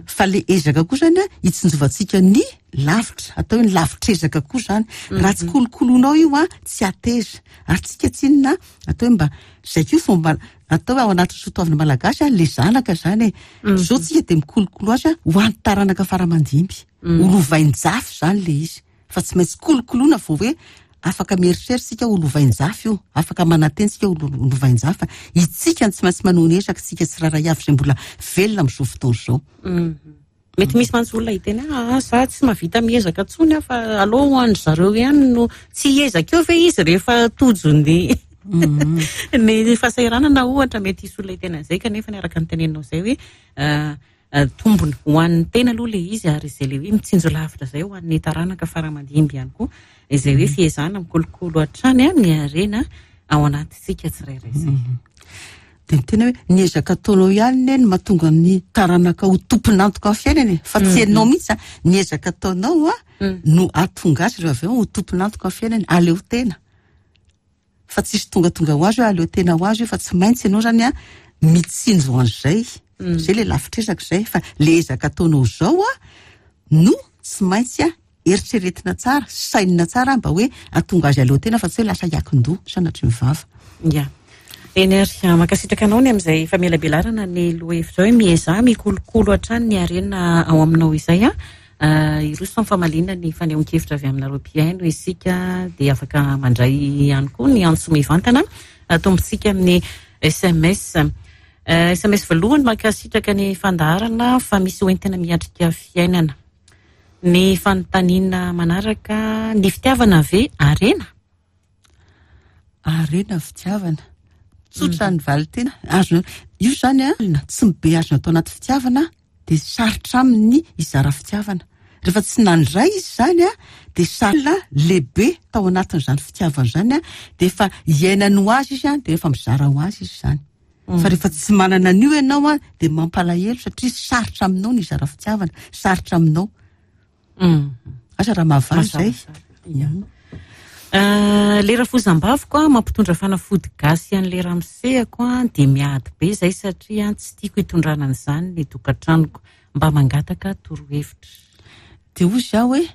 Fa ilay ezaka koa izany an, hitsinjovantsika ny lavitra, atao hoe ny lavitr'ezaka koa izany. Raha tsy kolokoloinao io an, tsy hateza. Ary tsika tsinona, atao hoe mba, izay koa fomba, atao hoe ao anatin'ny soatoavina malagasy an, ilay zanaka izany e. Izao tsika dia mikolokolo azy an, ho an'ny taranaka fara aman-dimby. Ho lovain-jafy izany ilay izy. Fa tsy maintsy kolokoloina vao hoe afaka mieritreritra isika ho lovain-jafy io, afaka manantena isika ho lovain-jafy. Fa itsika no tsy maintsy manohy ny ezaka, isika tsirairay avy izay mbola velona amin'izao fotoana izao. Mety misy mantsy olona hiteny hoe aa za tsy mahavita miezaka intsony aho fa aleo ho an-dry zareo ihany no tsy hiezaka eo ve izy rehefa tojo ny ny fahasahiranana ohatra. Mety hisy olona hiteny an'izay kanefa ny araka ny teneninao izay hoe tombony ho an'ny tena aloha ilay izy ary izay ilay hoe mitsinjo lavitra izay ho an'ny taranaka fara aman-dimby ihany koa izay hoe fiezahana mikolokolo hatrany ny harena ao anatintsika tsirairay izay. Dia ny tena hoe ny ezaka ataonao ihany anie no mahatonga ny taranaka ho tompon'antoka amin'ny fiainana e, fa tsy ianao mihitsy a. Ny ezaka ataonao a no hahatonga azy rehefa avy eo ho tompon'antoka amin'ny fiainany, aleo tena. Fa tsisy tongatonga ho azy hoe aleo tena ho azy io fa tsy maintsy ianao zany a mitsinjo an'izay. Izay ilay lavitr'ezaka izay fa ilay ezaka ataonao izao a no tsy maintsy a eritreretina tsara, sainina tsara mba hoe hahatonga azy aleo tena fa tsy hoe lasa hiakin-doha sanatria ny vava. Ya. Eny ary, mankasitraka anao ny amin'izay famelabelarana ny lohahevitra hoe miezaha mikolokolo hatrany ny harena ao aminao izay an. Hiroso amin'ny famaliana ny fanehoan-kevitra avy aminareo mpihaino isika dia afaka mandray ihany koa ny antso mivantana atombontsika amin'ny SMS. SMS voalohany, mankasitraka ny fandaharana fa misy hoentina miatrika fiainana. Ny fanontaniana manaraka, ny fitiavana ve harena? Harena ny fitiavana. Tsotra ny valin-teny. Azona, io izany an, tsy mibeazina tao anaty fitiavana dia sarotra aminy ny hizara fitiavana. Rehefa tsy nandray izy izany an, dia sarotra lehibe tao anatin'izany fitiavana izany an, dia efa iainany ho azy izy an, dia efa mizara ho azy izy izany. Fa rehefa tsy manana an'io ianao an, dia mampalahelo satria sarotra aminao ny hizara fitiavana, sarotra aminao. Asa raha mahavaly izay. Le rafozam-baviko an, mampitondra fanafody gasy an'le ramosehako an, dia miady be izay satria tsy tiako hitondrana an'izany ny tokantranoko. Mba mangataka torohevitra. Dia hoy izaho hoe,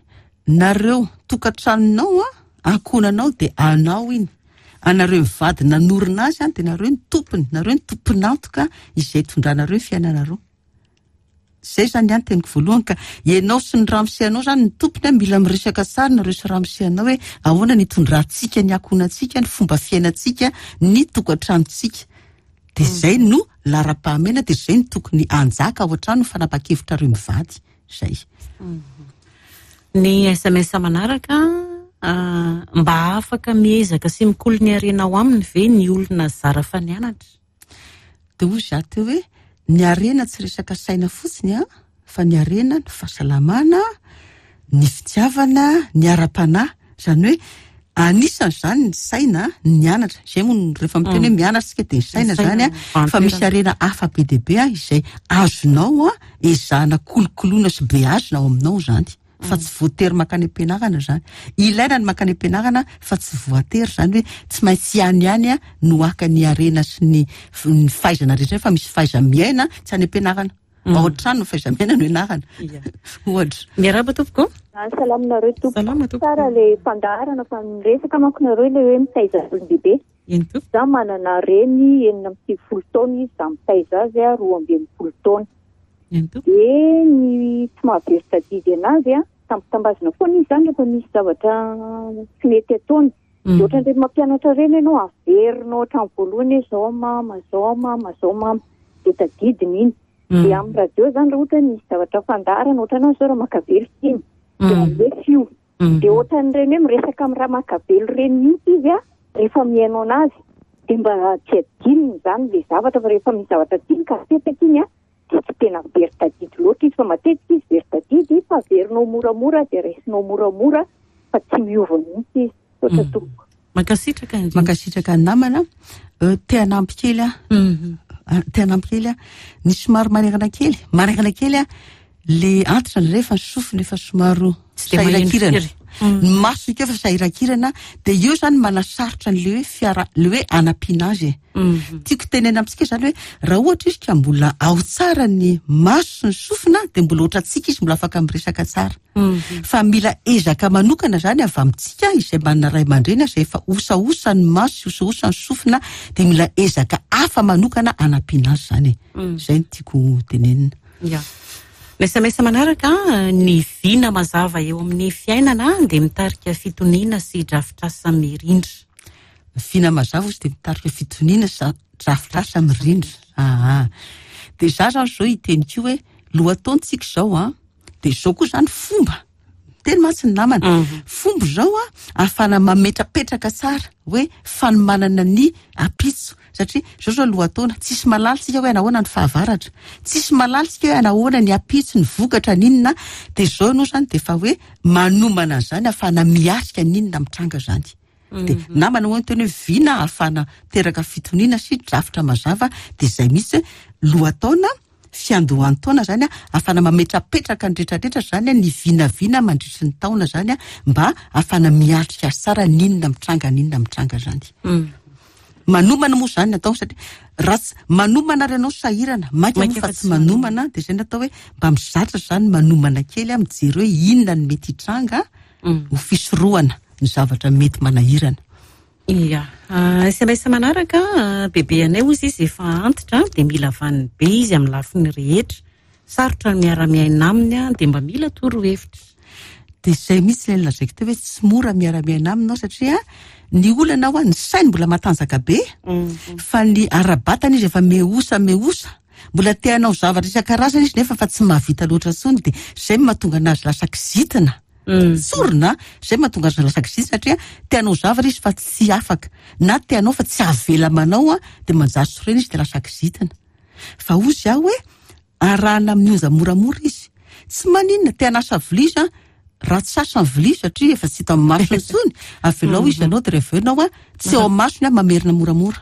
nareo tokantranonao an, ankohonanao dia anao iny. Anareo mivady nanorina azy an, dia nareo ny tompony, nareo ny tompon'antoka izay itondranareo ny fiainanareo. Izay izany ny teniko voalohany ka ianao sy ny ramose anao izany ny tompony an, mila miresaka tsara nareo sy ramose anao hoe ahoana ny itondrantsika ny ankohonantsika, ny fomba fiainantsika, ny tokantranontsika. Dia izay no laharam-pahamehana, dia izay no tokony hanjaka ao an-trano ny fanapahan-kevitrareo mivady. Izay. Ny SMS manaraka, mba afaka miezaka sy mikolo ny harena ao aminy ve ny olona zara fa nianatra? Dia hoy izaho teo hoe ny harena tsy resaka saina fotsiny an, fa ny harena ny fahasalamana, ny fitiavana, ny ara-panahy. Izany hoe. Anisan'izany ny saina, ny anatra. Izay moa no rehefa miteny hoe mianatra isika dia ny saina izany an, fa misy harena hafa be dia be izay azonao ezahana kolokoloina sy beazina ao aminao izany. Fa tsy voatery mankany am-pianarana izany. Ilaina ny mankany am-pianarana fa tsy voatery izany hoe tsy maintsy any ihany no haka ny harena sy ny fahaizana rehetra fa misy fahaiza-miaina tsy any am-pianarana. Ao an-trano ny fahaiza-miaina no ianarana. Ohatra. Miarahaba tompoko. Salama nareo tompoko. Salama tompoko. Tsara le fandaharana fa miresaka manko nareo le hoe mitaiza olon-dehibe. Eny tompoko. Za manana reny 96 taona izy, za mitaiza azy 62 taona. Eny tompoko. Dia ny tsy mahavery tadidy anazy a, tambitambazina foana izy zany rehefa misy zavatra tsy mety ataony. Dia ohatran'ireny mampianatra ireny ianao, averinao hatramin'ny voalohany hoe zao mama, zao mama, zao mama. Dia tadidiny iny. Dia amin'ny radio zany raha ohatra hoe misy zavatra fandaharana, ohatran'ny hoe zao Ramakavelo tiany. Dia alefa io. Dia ohatran'ireny hoe miresaka amin'ny Ramakavelo ireny mihitsy izy a, rehefa mihaino anazy. Dia mba tsy adinony izany ilay zavatra fa rehefa misy zavatra tiany ka apetraka iny a, dia tsy tena very tadidy loatra izy fa matetika izy very tadidy fa averinao moramora dia raisinao moramora fa tsy miova mihitsy izy. Misaotra tompoko. Mankasitraka indrindra. Mankasitraka ny namana. Te hanampy kely aho. Te hanampy kely aho. Ny somary manerana kely, manerana kely aho, le antitra indray efa ny sofina efa somary Tsy dia maheno sahirakirana. firy. Ny masony koa efa sahirakirana, dia eo zany manasarotra an'le hoe fiara, le hoe anampiana azy e. Tiako tenena amintsika zany hoe raha ohatra izy ka mbola ao tsara ny maso sy ny sofina dia mbola ohatrantsika izy mbola afaka miresaka tsara. Fa mila ezaka manokana zany avy amintsika izay manana ray aman-dreny izay efa osaosa ny maso sy osaosa ny sofina dia mila ezaka hafa manokana anampiana azy zany e. Izay no tiako tenenina. Ya. Ny SMS manaraka, ny vina mazava eo amin'ny fiainana dia mitarika fitoniana sy drafitrasa mirindra. Vina mazava izy dia mitarika fitoniana sy drafitrasa mirindra. Aha. Dia za zany zao hiteny koa hoe lohataontsika izao an, dia izao koa zany fomba. Teny mantsy ny namana. Fomba izao an, ahafahana mametrapetraka tsara hoe fanomanana ny ampitso. Satria izao zao lohataona, tsisy mahalala tsika hoe anahoana ny fahavaratra. Tsisy mahalala tsika hoe anahoana ny ampitso, ny vokatra, ny inona. Dia izao ianao zany dia efa hoe manomana an'izany ahafahana miatrika ny inona mitranga zany. Dia namana hoy ny teny hoe vina ahafahana miteraka fitoniana sy drafitra mazava, dia izay mihitsy hoe lohataona, fiandohan'ny taona zany ahafahana mametrapetraka ny rehetrarehetra zany ny vinavina mandritry ny taona zany mba ahafahana miatrika azy tsara ny inona mitranga, ny inona mitranga zany. Manomana moa zany natao satria raha tsy manomana ary ianao sahirana, maika moa fa tsy manomana, dia izay natao hoe mba mizatra zany manomana kely mijery hoe inona no mety hitranga ho fisorohana ny zavatra mety manahirana. Ya. SMS manaraka, bebe anay hozy izy efa antitra dia mila vaniny be izy amin'ny lafiny rehetra. Sarotra ny miara-miaina aminy dia mba mila torohevitra. Dia izay mihitsy ilay nolazaiko teo hoe tsy mora miara-miaina aminy satria ny olana ao ny sainy mbola matanjaka be fa ny ara-batana izy efa mihosa mihosa. Mbola te hanao zavatra isan-karazany izy nefa fa tsy mahavita loatra intsony dia izay no mahatonga anazy lasa kizitina. Tsorina, izay mahatonga azy lasa kizitina satria te hanao zavatra izy fa tsy afaka na te hanao fa tsy avela manao dia manjary sorena izy dia lasa kizitina. Fa hozy aho hoe arahana amin'ny onja moramora izy. Tsy maninona te hanasa vilia izy raha tsy sasa ny vilia satria efa tsy hita amin'ny masony intsony, avelao izy hanao dia rehefa avy eo ianao tsy eo amin'ny masony mamerina moramora.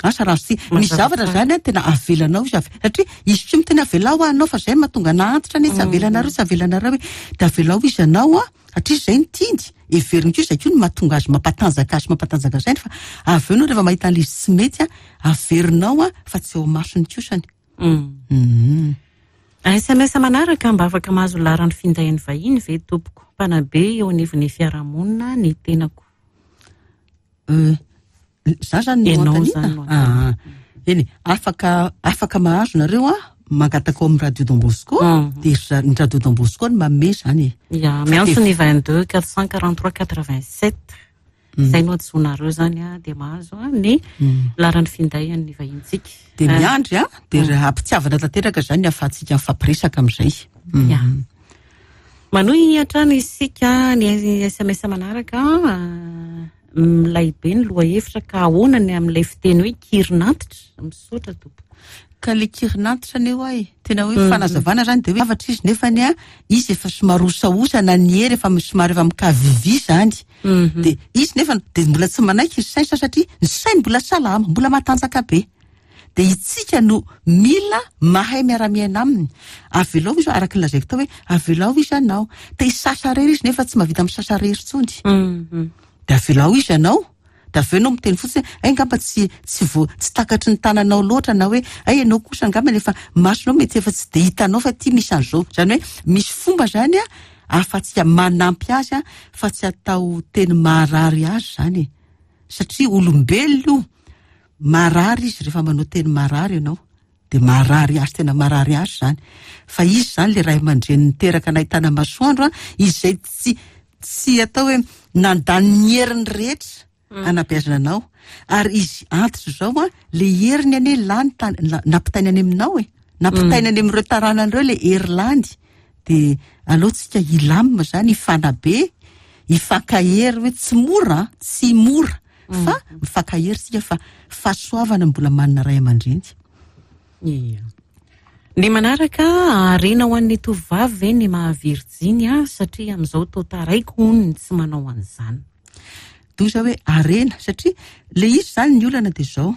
Asa raha tsy misy zavatra zany tena avelanao izy avy satria izy koa miteny avelao aho anao fa zay mahatonga anah antitra anie tsy avelanareo tsy avelanareo hoe dia avelao izy anao satria zay no tiany heveriny koa izay koa no mahatonga azy mampatanjaka azy mampatanjaka sainy fa avy eo ianao rehefa mahita an'ilay izy tsy mety averinao fa tsy eo masony kosany. SMS manaraka, mba afaka mahazo laharan'ny findain'ny vahiny ve tompoko? Mpanabe eo anivon'ny fiarahamonina ny tenako. Za zany no Ianao anontaniana? zany no anontaniana. Eny, afaka mahazo nareo mangataka ao amin'ny Radio Don Bosco, dia ny Radio Don Bosco no manome zany e. Ya, miantso ny 22 443 87. Izay no antsoinareo zany dia mahazo ny laharan'ny finday an'ny vahintsika. Dia miandry dia raha ampitiavana tanteraka zany ny ahafahantsika mifampiresaka amin'izay. Ya. Manohy hatrany isika ny SMS manaraka, milay be ny lohahevitra ka ahoana ny amin'ilay fiteny hoe kirin'antitra? Misaotra tompoko. Ka le kirin'antitra anie hoa e! Tena hoe fanazavana zany de hoe zavatra izy nefany a izy efa somary osaosa na ny hery efa somary efa mikavivy zany. De izy nefany de mbola tsy manaiky ny sainy satria ny sainy mbola salama, mbola matanjaka be. De itsika no mila mahay miara-miaina aminy. Avelao izy araka ny lazaiko tao hoe avelao izy hanao. Te hisasa irery izy nefa tsy mahavita misasa irery intsony. De avelao izy hanao. De avy eo ianao miteny fotsiny hoe hay angamba tsy tsy vo tsy takatry ny tananao loatra na hoe hay ianao kosa angamba efa masonao mety efa tsy de hitanao fa ity misy an'izao. Izany hoe misy fomba izany an ahafahantsika manampy azy an fa tsy atao teny maharary azy izany e. Satria olombelona io, marary izy rehefa manao teny marary ianao. Dia marary azy, tena marary azy izany. Fa izy izany ilay ray aman-dreny niteraka nahitana masoandro an, izay tsy tsy atao hoe nandany ny heriny rehetra hanabeazana anao. Ary izy antitra izao an, ilay heriny anie lany tany, nampitainy any aminao e. Nampitainy any amin'ireo taranany ireo ilay hery lany. Dia aleo tsika hilamina izany, hifanabe, hifankahery hoe tsy mora an, tsy mora. Fa mifankahery isika fa fahasoavana mbola manana ray aman-dreny. Ia. Ny manaraka, harena ho an'ny tovovavy ve ny maha virjiny satria amin'izao toa taraiky hono ny tsy manao an'izany. Doza hoe harena satria le izy izany ny olana dia izao,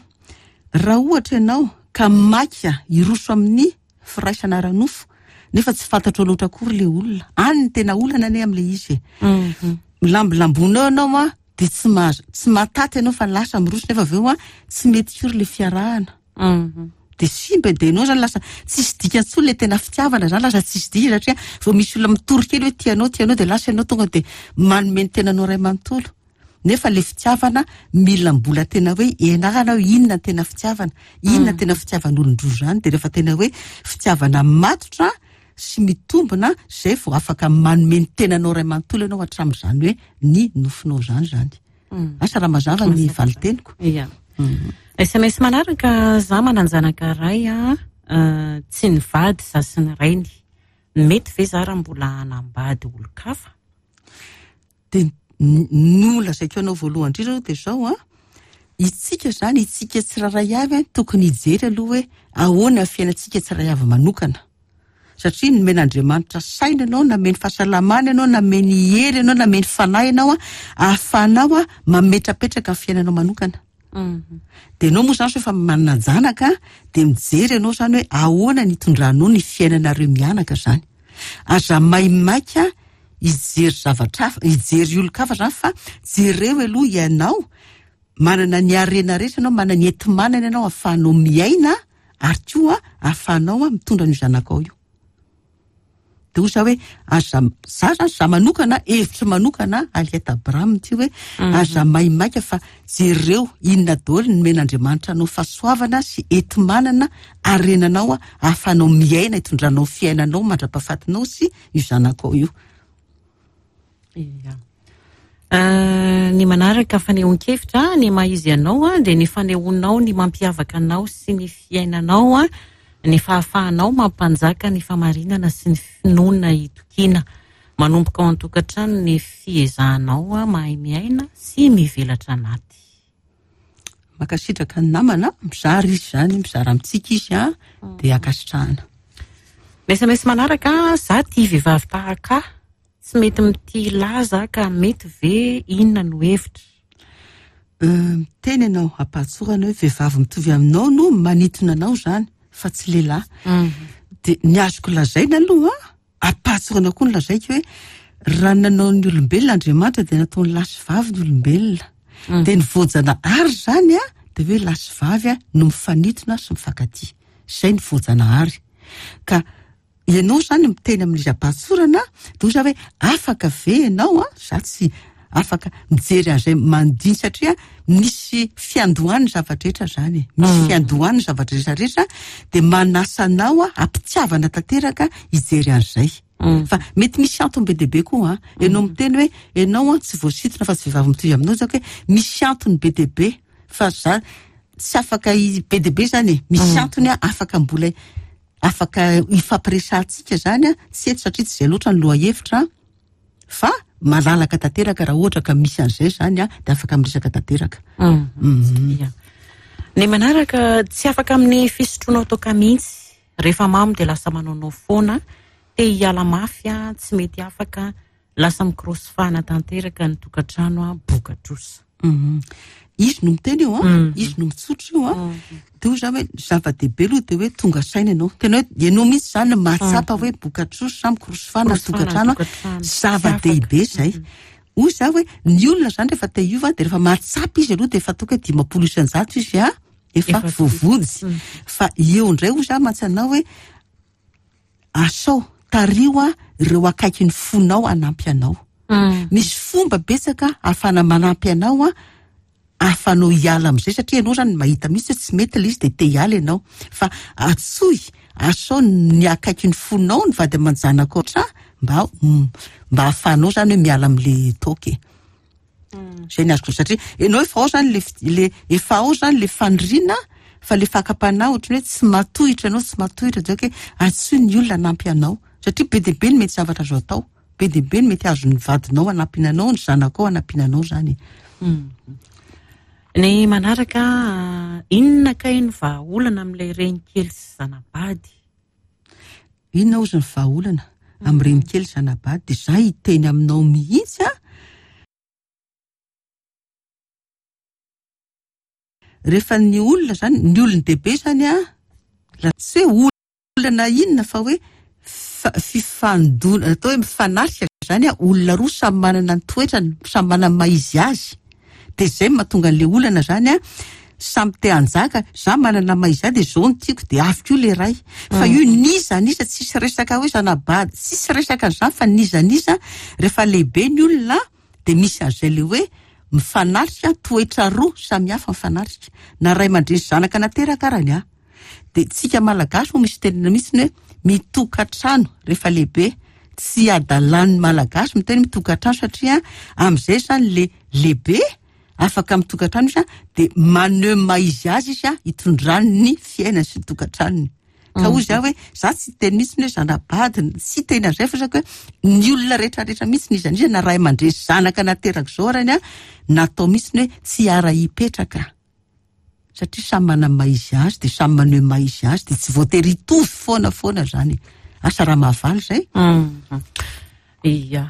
raha ohatra ianao ka maika hiroso amin'ny firaisana ara-nofo nefa tsy fantatrao loatra akory le olona, any ny tena olana anie amin'ilay izy e. Milambolambona eo ianao an, dia tsy mahazo, tsy mahataty ianao fa lasa miroso nefa avy eo an, tsy mety firy le fiarahana. Dia simba dia ianao zany lasa tsisy dikany intsony le tena fitiavana zany lasa tsisy dikany satria vao misy olona mitory kely hoe tia anao, tia anao dia lasa ianao tonga dia manome ny tenanao iray manontolo. Nefa le fitiavana mila mbola tena hoe ianarana hoe inona ny tena fitiavana, inona tena fitiavan'olon-droa zany, dia rehefa tena hoe fitiavana matotra sy mitombina zay vao afaka manome ny tenanao iray manontolo ianao hatramin'izany hoe ny nofinao izany izany. Asa raha mazava ny valin-teniko. Ia. SMS manaraka, za manan-janaka iray a, tsy nivady za sy ny rainy. Mety ve za raha mbola hanambady olon-kafa? Dia no lazaiko anao voalohany indrindra aloha dia izao an, itsika izany, itsika tsirairay avy an, tokony hijery aloha hoe ahoana ny fiainantsika tsirairay avy manokana. Satria nomen'Andriamanitra saina ianao, nameny fahasalamana ianao, nameny hery ianao, nameny fanahy ianao an, ahafahanao an mametrapetraka ny fiainanao manokana. Dia ianao moa izany sao efa manan-janaka dia mijery ianao izany hoe ahoana ny hitondranao ny fiainanareo mianaka izany. Aza maimaika hijery zavatra hafa, hijery olon-kafa izany fa jereo aloha ianao, manana ny harena rehetra ianao, manana ny enti-manana ianao ahafahanao miaina ary koa ahafahanao mitondra an'io zanakao io. Dia hoy za hoe aza, za zany, za manokana, hevitro manokana, Aliette Abraham ity hoe aza maimaika fa jereo inona daholo no nomen'Andriamanitra anao fahasoavana sy enti-manana harenanao ahafahanao miaina, hitondranao fiainanao mandra-pahafatinao sy io zanakao io. Ia. Ny manaraka fanehoan-kevitra, ny maha izy anao dia ny fanehoanao ny mampiavaka anao sy ny fiainanao, ny fahafahanao mampanjaka ny famarinana sy ny finoana itokiana. Manomboka ao an-tokantrano ny fiezahanao mahay miaina sy mivelatra anaty. Mankasitraka ny namana, mizara izy izany, mizara amintsika izy an, dia ankasitrahana. Ny sms manaraka, za tia vehivavy tahaka ahy. Tsy mety mitia laza ka mety ve inona no hevitra? Miteny ianao ampahatsorana hoe vehivavy mitovy aminao no manintona anao izany fa tsy lehilahy. Dia ny azoko lazaina aloha, ampahatsorana koa no lazaiko hoe raha nanao ny olombelona Andriamanitra dia nataony lahy sy vavy ny olombelona. Dia ny voajanahary izany an, dia hoe lahy sy vavy no mifanintona sy mifankatia. Izay ny voajanahary. Ka Ianao izany miteny amin'izy am-pahatsorana, dia hoy za hoe afaka ve ianao an, za tsy afaka mijery an'izay manodidina satria misy fiandohany ny zava-drehetra izany e, misy mm. fiandohany ny zavatra rehetra rehetra, dia manasa anao a am-pitiavana tanteraka hijery an'izay. Mm. Fa mety misy antony be dia be koa an, ianao mm. miteny hoe ianao an tsy voasintona fa tsy vehivavy mitovy aminao zako hoe misy antony be dia be fa za tsy afaka be dia be izany e, misy antony afaka mbola Afaka hifampiresahantsika izany an, tsy eto satria tsy izay loatra ny lohahevitra fa malalaka tanteraka raha ohatra ka misy an'izay izany an, dia afaka miresaka tanteraka. Ia. Ny manaraka, tsy afaka amin'ny fisotroana toaka mihitsy. Rehefa mamo dia lasa manaonao foana, te hiala mafy, tsy mety afaka, lasa mikorosifahana tanteraka ny tokantrano, boka trosa. Izy no miteny io an, izy no mitsotra io an. Dia hoy za hoe zava-dehibe aloha dia hoe tonga saina ianao. Tena hoe ianao mihitsy izany no mahatsapa hoe boka trosa, mikorosifahana ny tokantrano. Zava-dehibe izay. Hoy za hoe ny olona izany rehefa te hiova dia rehefa mahatsapa izy aloha dia efa ataoko hoe 50% izy an, efa voavonjy. Fa eo indray hoy za mantsy anao hoe asao, tariho an ireo akaikin'ny fonao hanampy anao. Misy fomba betsaka ahafahana manampy anao an, ahafahanao hiala amin'izay satria ianao izany mahita mihitsy hoe tsy mety ilay izy dia te hiala ianao. Fa antsoy, asao ny akaikin'ny fonao, ny vady aman-janakao mba mba ahafahanao izany hoe miala amin'ilay toaka e. Izay ny azoko satria ianao efa ao izany le le efa ao izany le faniriana fa le fakam-panahy ohatran'ny hoe tsy matohitra ianao, tsy matohitra dia hoe antsoy ny olona hanampy anao satria be dia be ny mety zavatra azo atao. Be dia be ny mety azon'ny vadinao hanampiana anao, ny zanakao hanampiana anao izany e. Ny manaraka, inona kay ny vahaolana amin'ilay renikely sy zana-bady? Inona hozy ny vahaolana amin'ny renikely sy zana-bady? Dia izaho hiteny aminao mihitsy an! Rehefa ny olona izany, ny olon-dehibe izany an, tsy hoe olana inona fa hoe fifandona, atao hoe mifanatrika izany an, olona roa samy manana ny toetrany, samy manana ny maha izy azy. Dia izay no mahatonga an'ilay olana izany an, samy te hanjaka, za manana ny maha izy ahy dia izao no tiako dia avy koa ilay iray. Fa io n'iza n'iza, tsisy resaka hoe zana-bady, tsisy resaka an'izany fa n'iza n'iza, rehefa lehibe ny olona dia misy an'izay ilay hoe mifanatrika, toetra roa samy hafa mifanatrika. Na ray aman-dreny sy zanaka nateraka arany an. Dia tsika Malagasy moa misy tenenina mihitsy ny hoe mitokantrano rehefa lehibe. Tsy adalan'ny Malagasy miteny hoe mitokantrano satria amin'izay izany le lehibe afaka mitokantrano izy dia maneho ny maha izy azy izy hitondrany ny fiainany sy ny tokantranony. Ka hoy izaho hoe za tsy hiteny mihitsy ny hoe zana-bady, tsy hiteny an'izay fa hoe ny olona rehetrarehetra mihitsy n'iza n'iza na ray aman-dreny sy zanaka nateraka izao arany an, natao mihitsy ny hoe tsy hiara-hipetraka. Satria samy manana ny maha izy azy dia samy maneho ny maha izy azy dia tsy voatery hitovy foana foana izany. Asa raha mahavaly izay? Ia.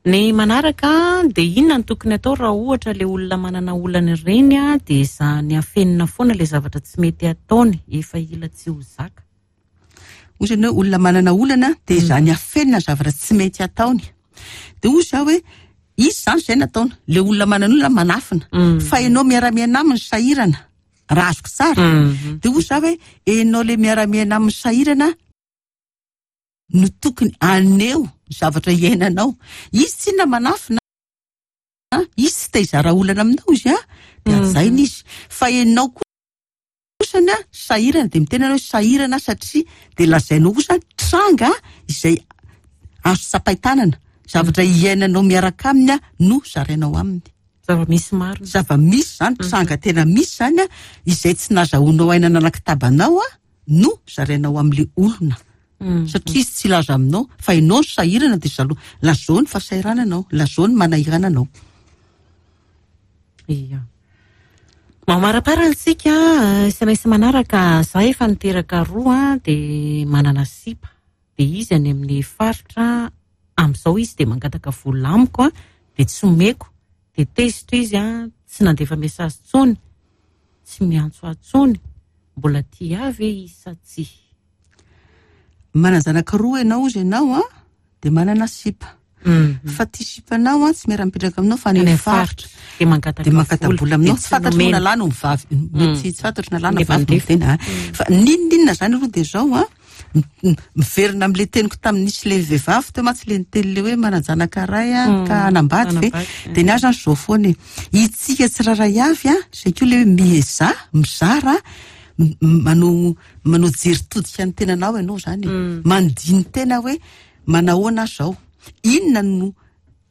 Ny manaraka dia inona no tokony atao raha ohatra ilay olona manana olana ireny dia ezahany afenina foana ilay zavatra tsy mety ataony, efa hila tsy ho zaka. Hoy izy hoe olona manana olana dia ezahany afenina ny zavatra tsy mety ataony. Dia hoy izaho hoe izy izany izay nataony, ilay olona manana olana manafina, fa ianao miara-miaina aminy sahirana, raha azoko tsara. Dia hoy izaho hoe ianao ilay miara-miaina aminy sahirana no tokony haneho ny zavatra iainanao. Izy tsinona manafina, izy tsy te hizara olana aminao izy an, dia hajaina izy. Fa ianao kosa ny sahirana dia miteny ianao hoe sahirana satria dia lazainao kosa tranga izay azo tsapain-tanana, zavatra iainanao miaraka aminy no zarainao aminy. Zava-misy marina. Zava-misy izany, tranga tena misy izany izay tsy nazahoanao aina nanakitabanao no zarainao amin'ilay olona. Satria izy tsy hilaza aminao fa ianao no sahirana dia zalo, lazao ny fahasahirananao, lazao ny manahirana anao. Ia. Mamaraparana isika, SMS manaraka, za efa niteraka roa dia manana sipa. Dia izy any amin'ny faritra, amin'izao izy dia mangataka vola amiko dia tsy omeko. Dia tezitra izy, tsy nandefa message intsony, tsy miantso ahy intsony. Mbola tia ahy ve izy sa tsia? Manan-janaka roa ianao hozy ianao an, dia manana sipa. Fa ty sipanao an, tsy miara-mipetraka aminao fa any amin'ny faritra. Dia mangataka Dia mangata-bola aminao. Dia Tsy fantatro nomena. na lahy no vavy. Mety tsy fantatro na lahy na vavy no miteny, a. Fa n'inon'inona izany aloha dia izao an, miverina amin'ilay teniko tamin'ny nisy ilay vehivavy teo mantsy ilay niteny ilay hoe manan-janaka iray an, ka hanambady ve? Hanambady, Dia ny ahy izany izao foana e. Itsika tsirairay avy an, izay koa ilay hoe miezaha, mizara, manao manao jery todika ny tenanao ianao izany e. Mandini-tena hoe manahoana aho izao? Inona no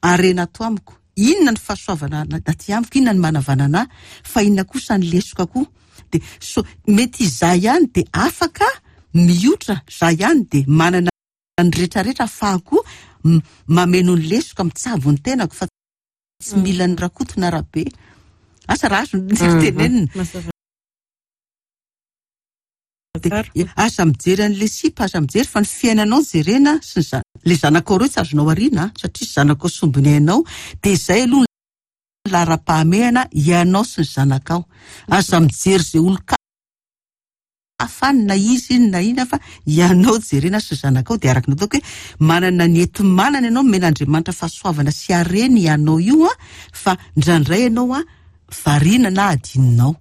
harena ato amiko? Inona ny fahasoavana aty amiko? Inona ny manavanana ahy? Fa inona kosa ny lesoka koa? Dia so mety izaho ihany dia afaka miotra, izaho ihany dia manana ny rehetrarehetra ahafahako mameno ny lesoka, mitsabo ny tenako fa tsy mila ny Rakoto na Rabe. Asa raha azony ny tenenina. De aza mijery an'le sipa, aza mijery fa ny fiainanao jerena sy ny le zanakao reo tsy azonao ariana satria zanakao sombiny ainao, de zay aloha ny laharam-pahamehana ianao sy ny zanakao. Aza mijery zay olon-kafa any na izy iny na ina fa ianao jerena sy ny zanakao. De araka ny ataoko hoe manana ny enti-manana ianao, omen'Andriamanitra fahasoavana sy harena ianao io fa indraindray ianao variana na adinonao.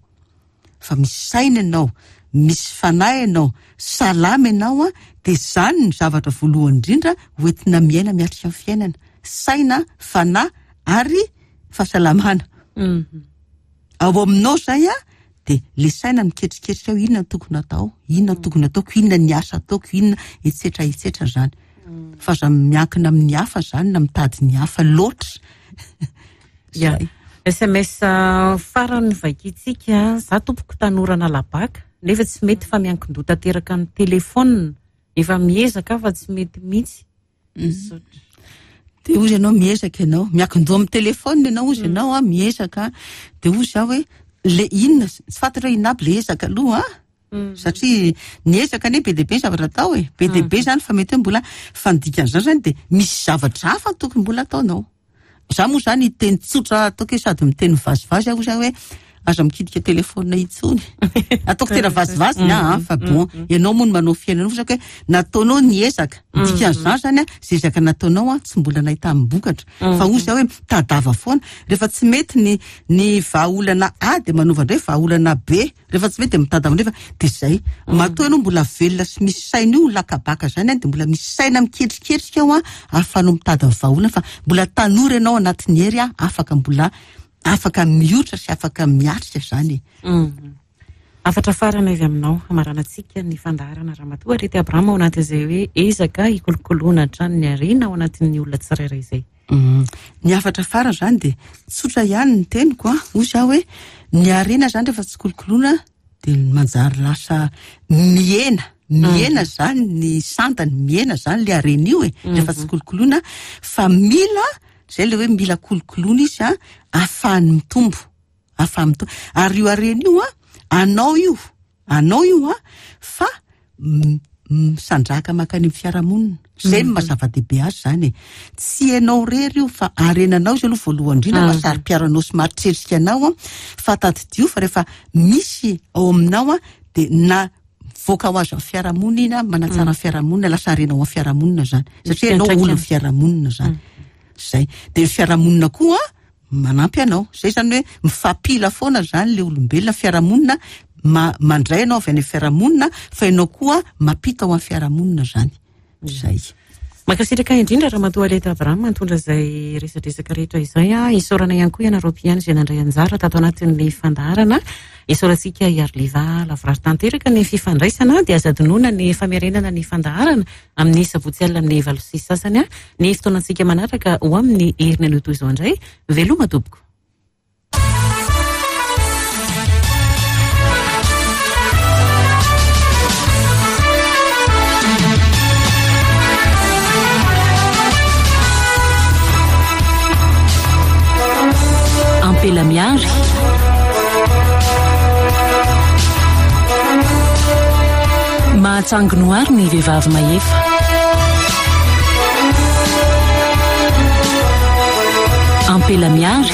Fa misy saina ianao, misy fanahy ianao, salama ianao, dia izany no zavatra voalohany indrindra hoentina miaina miatrika ny fiainana. Saina, fanahy ary fahasalamana. Ao aminao izay dia le saina miketriketrika ao, inona no tokony atao, inona no tokony ataoko, inona ny asa ataoko, inona, etsetra etsetra izany. Fa aza miankina amin'ny hafa izany na mitady ny hafa loatra. Ya. SMS farany vakintsika, za tompoko tanora nalabaka nefa tsy mety fa miankin-doha tanteraka amin'ny telefaonina, efa miezaka aho fa tsy mety mihitsy. Misaotra. Dia hozy ianao miezaka ianao, miankin-doha amin'ny telefaonina ianao hozy ianao a, miezaka. Dia hozy aho hoe le inona, tsy fantatra hoe inona aby le ezaka aloha a. Satria ny ezaka anie be dia be ny zavatra atao e, be dia be izany fa mety hoe mbola, fa ny dikan'izany izany dia misy zavatra hafa tokony mbola ataonao. Za moa izany hiteny tsotra ataoko hoe sady miteny mivazivazy aho hozy aho hoe aza mikitika telefaonina intsony. Ataoko tena vazivazy ny ahy fa bon, ianao moa no manao fiainana hozy aho hoe nataonao ny ezaka. Ny dikan'izany izany an, izay ezaka nataonao an tsy mbola nahitam-bokatra. Fa hozy aho hoe mitadava foana. Rehefa tsy mety ny ny vahaolana A dia manova indray vahaolana B. Rehefa tsy mety dia mitady amin'ireny fa dia izay. Matoa ianao mbola velona sy misy saina io lakabaka izany an, dia mbola misy saina miketriketrika ao an, ahafahanao mitady ny vahaolana fa mbola tanora ianao anatin'ny hery an, afaka mbola afaka miotra sy afaka miatrika izany e. Hafatra farany avy aminao hamaranantsika ny fandaharana Ramatoa Arety Abraham ao anatin'izay hoe ezaka hikolokoloana hatrany ny harena ao anatin'ny olona tsirairay izay. Ny hafatra farany izany dia tsotra ihany ny teniko an, hoy izaho hoe ny harena izany rehefa tsy kolokoloina dia manjary lasa mihena, mihena izany ny sandany, mihena izany ilay harena io e, rehefa tsy kolokoloina fa mila, izay ilay hoe mila kolokoloina izy an, ahafahany mitombo, ahafahany mitombo. Ary io harena io an, anao io, Anao io an, fa misandrahaka mankany amin'ny fiarahamonina. Izay no maha zava-dehibe azy izany e. Tsy ianao irery io fa harenanao izy aloha voalohany indrindra fa saro-piaro anao sy mahatretrika anao an, fa tadidio fa rehefa misy ao aminao an, dia na mivoaka ho azy amin'ny fiarahamonina iny an, manatsara ny fiarahamonina, lasa harena ao amin'ny fiarahamonina izany. Satria ianao olon'ny fiarahamonina izany. Izay. Dia ny fiarahamonina koa Manampy anao. Zay zany hoe mifampila foana zany le olombelona, fiarahamonina mandray anao avy any amin'ny fiarahamonina fa ianao koa mampita ho an'ny fiarahamonina zany. Zay. Mankasitraka indrindra Ramatoa Aleta Abraham nitondra izay resadresaka rehetra izay. Isaorana ihany koa ianareo mpihaino izay nandray anjara tato anatin'ny fandaharana. Isaorantsika i Arliva lavorary tanteraka ny fifandraisana dia aza adinoina ny famerenana ny fandaharana amin'ny sabotsy alina amin'ny 8:30 ny fotoanantsika manaraka ho amin'ny heriny anio toy izao indray. Veloma tompoko. Ampela miary. Mahatsangy noary ny vehivavy mahefa. Ampela miary.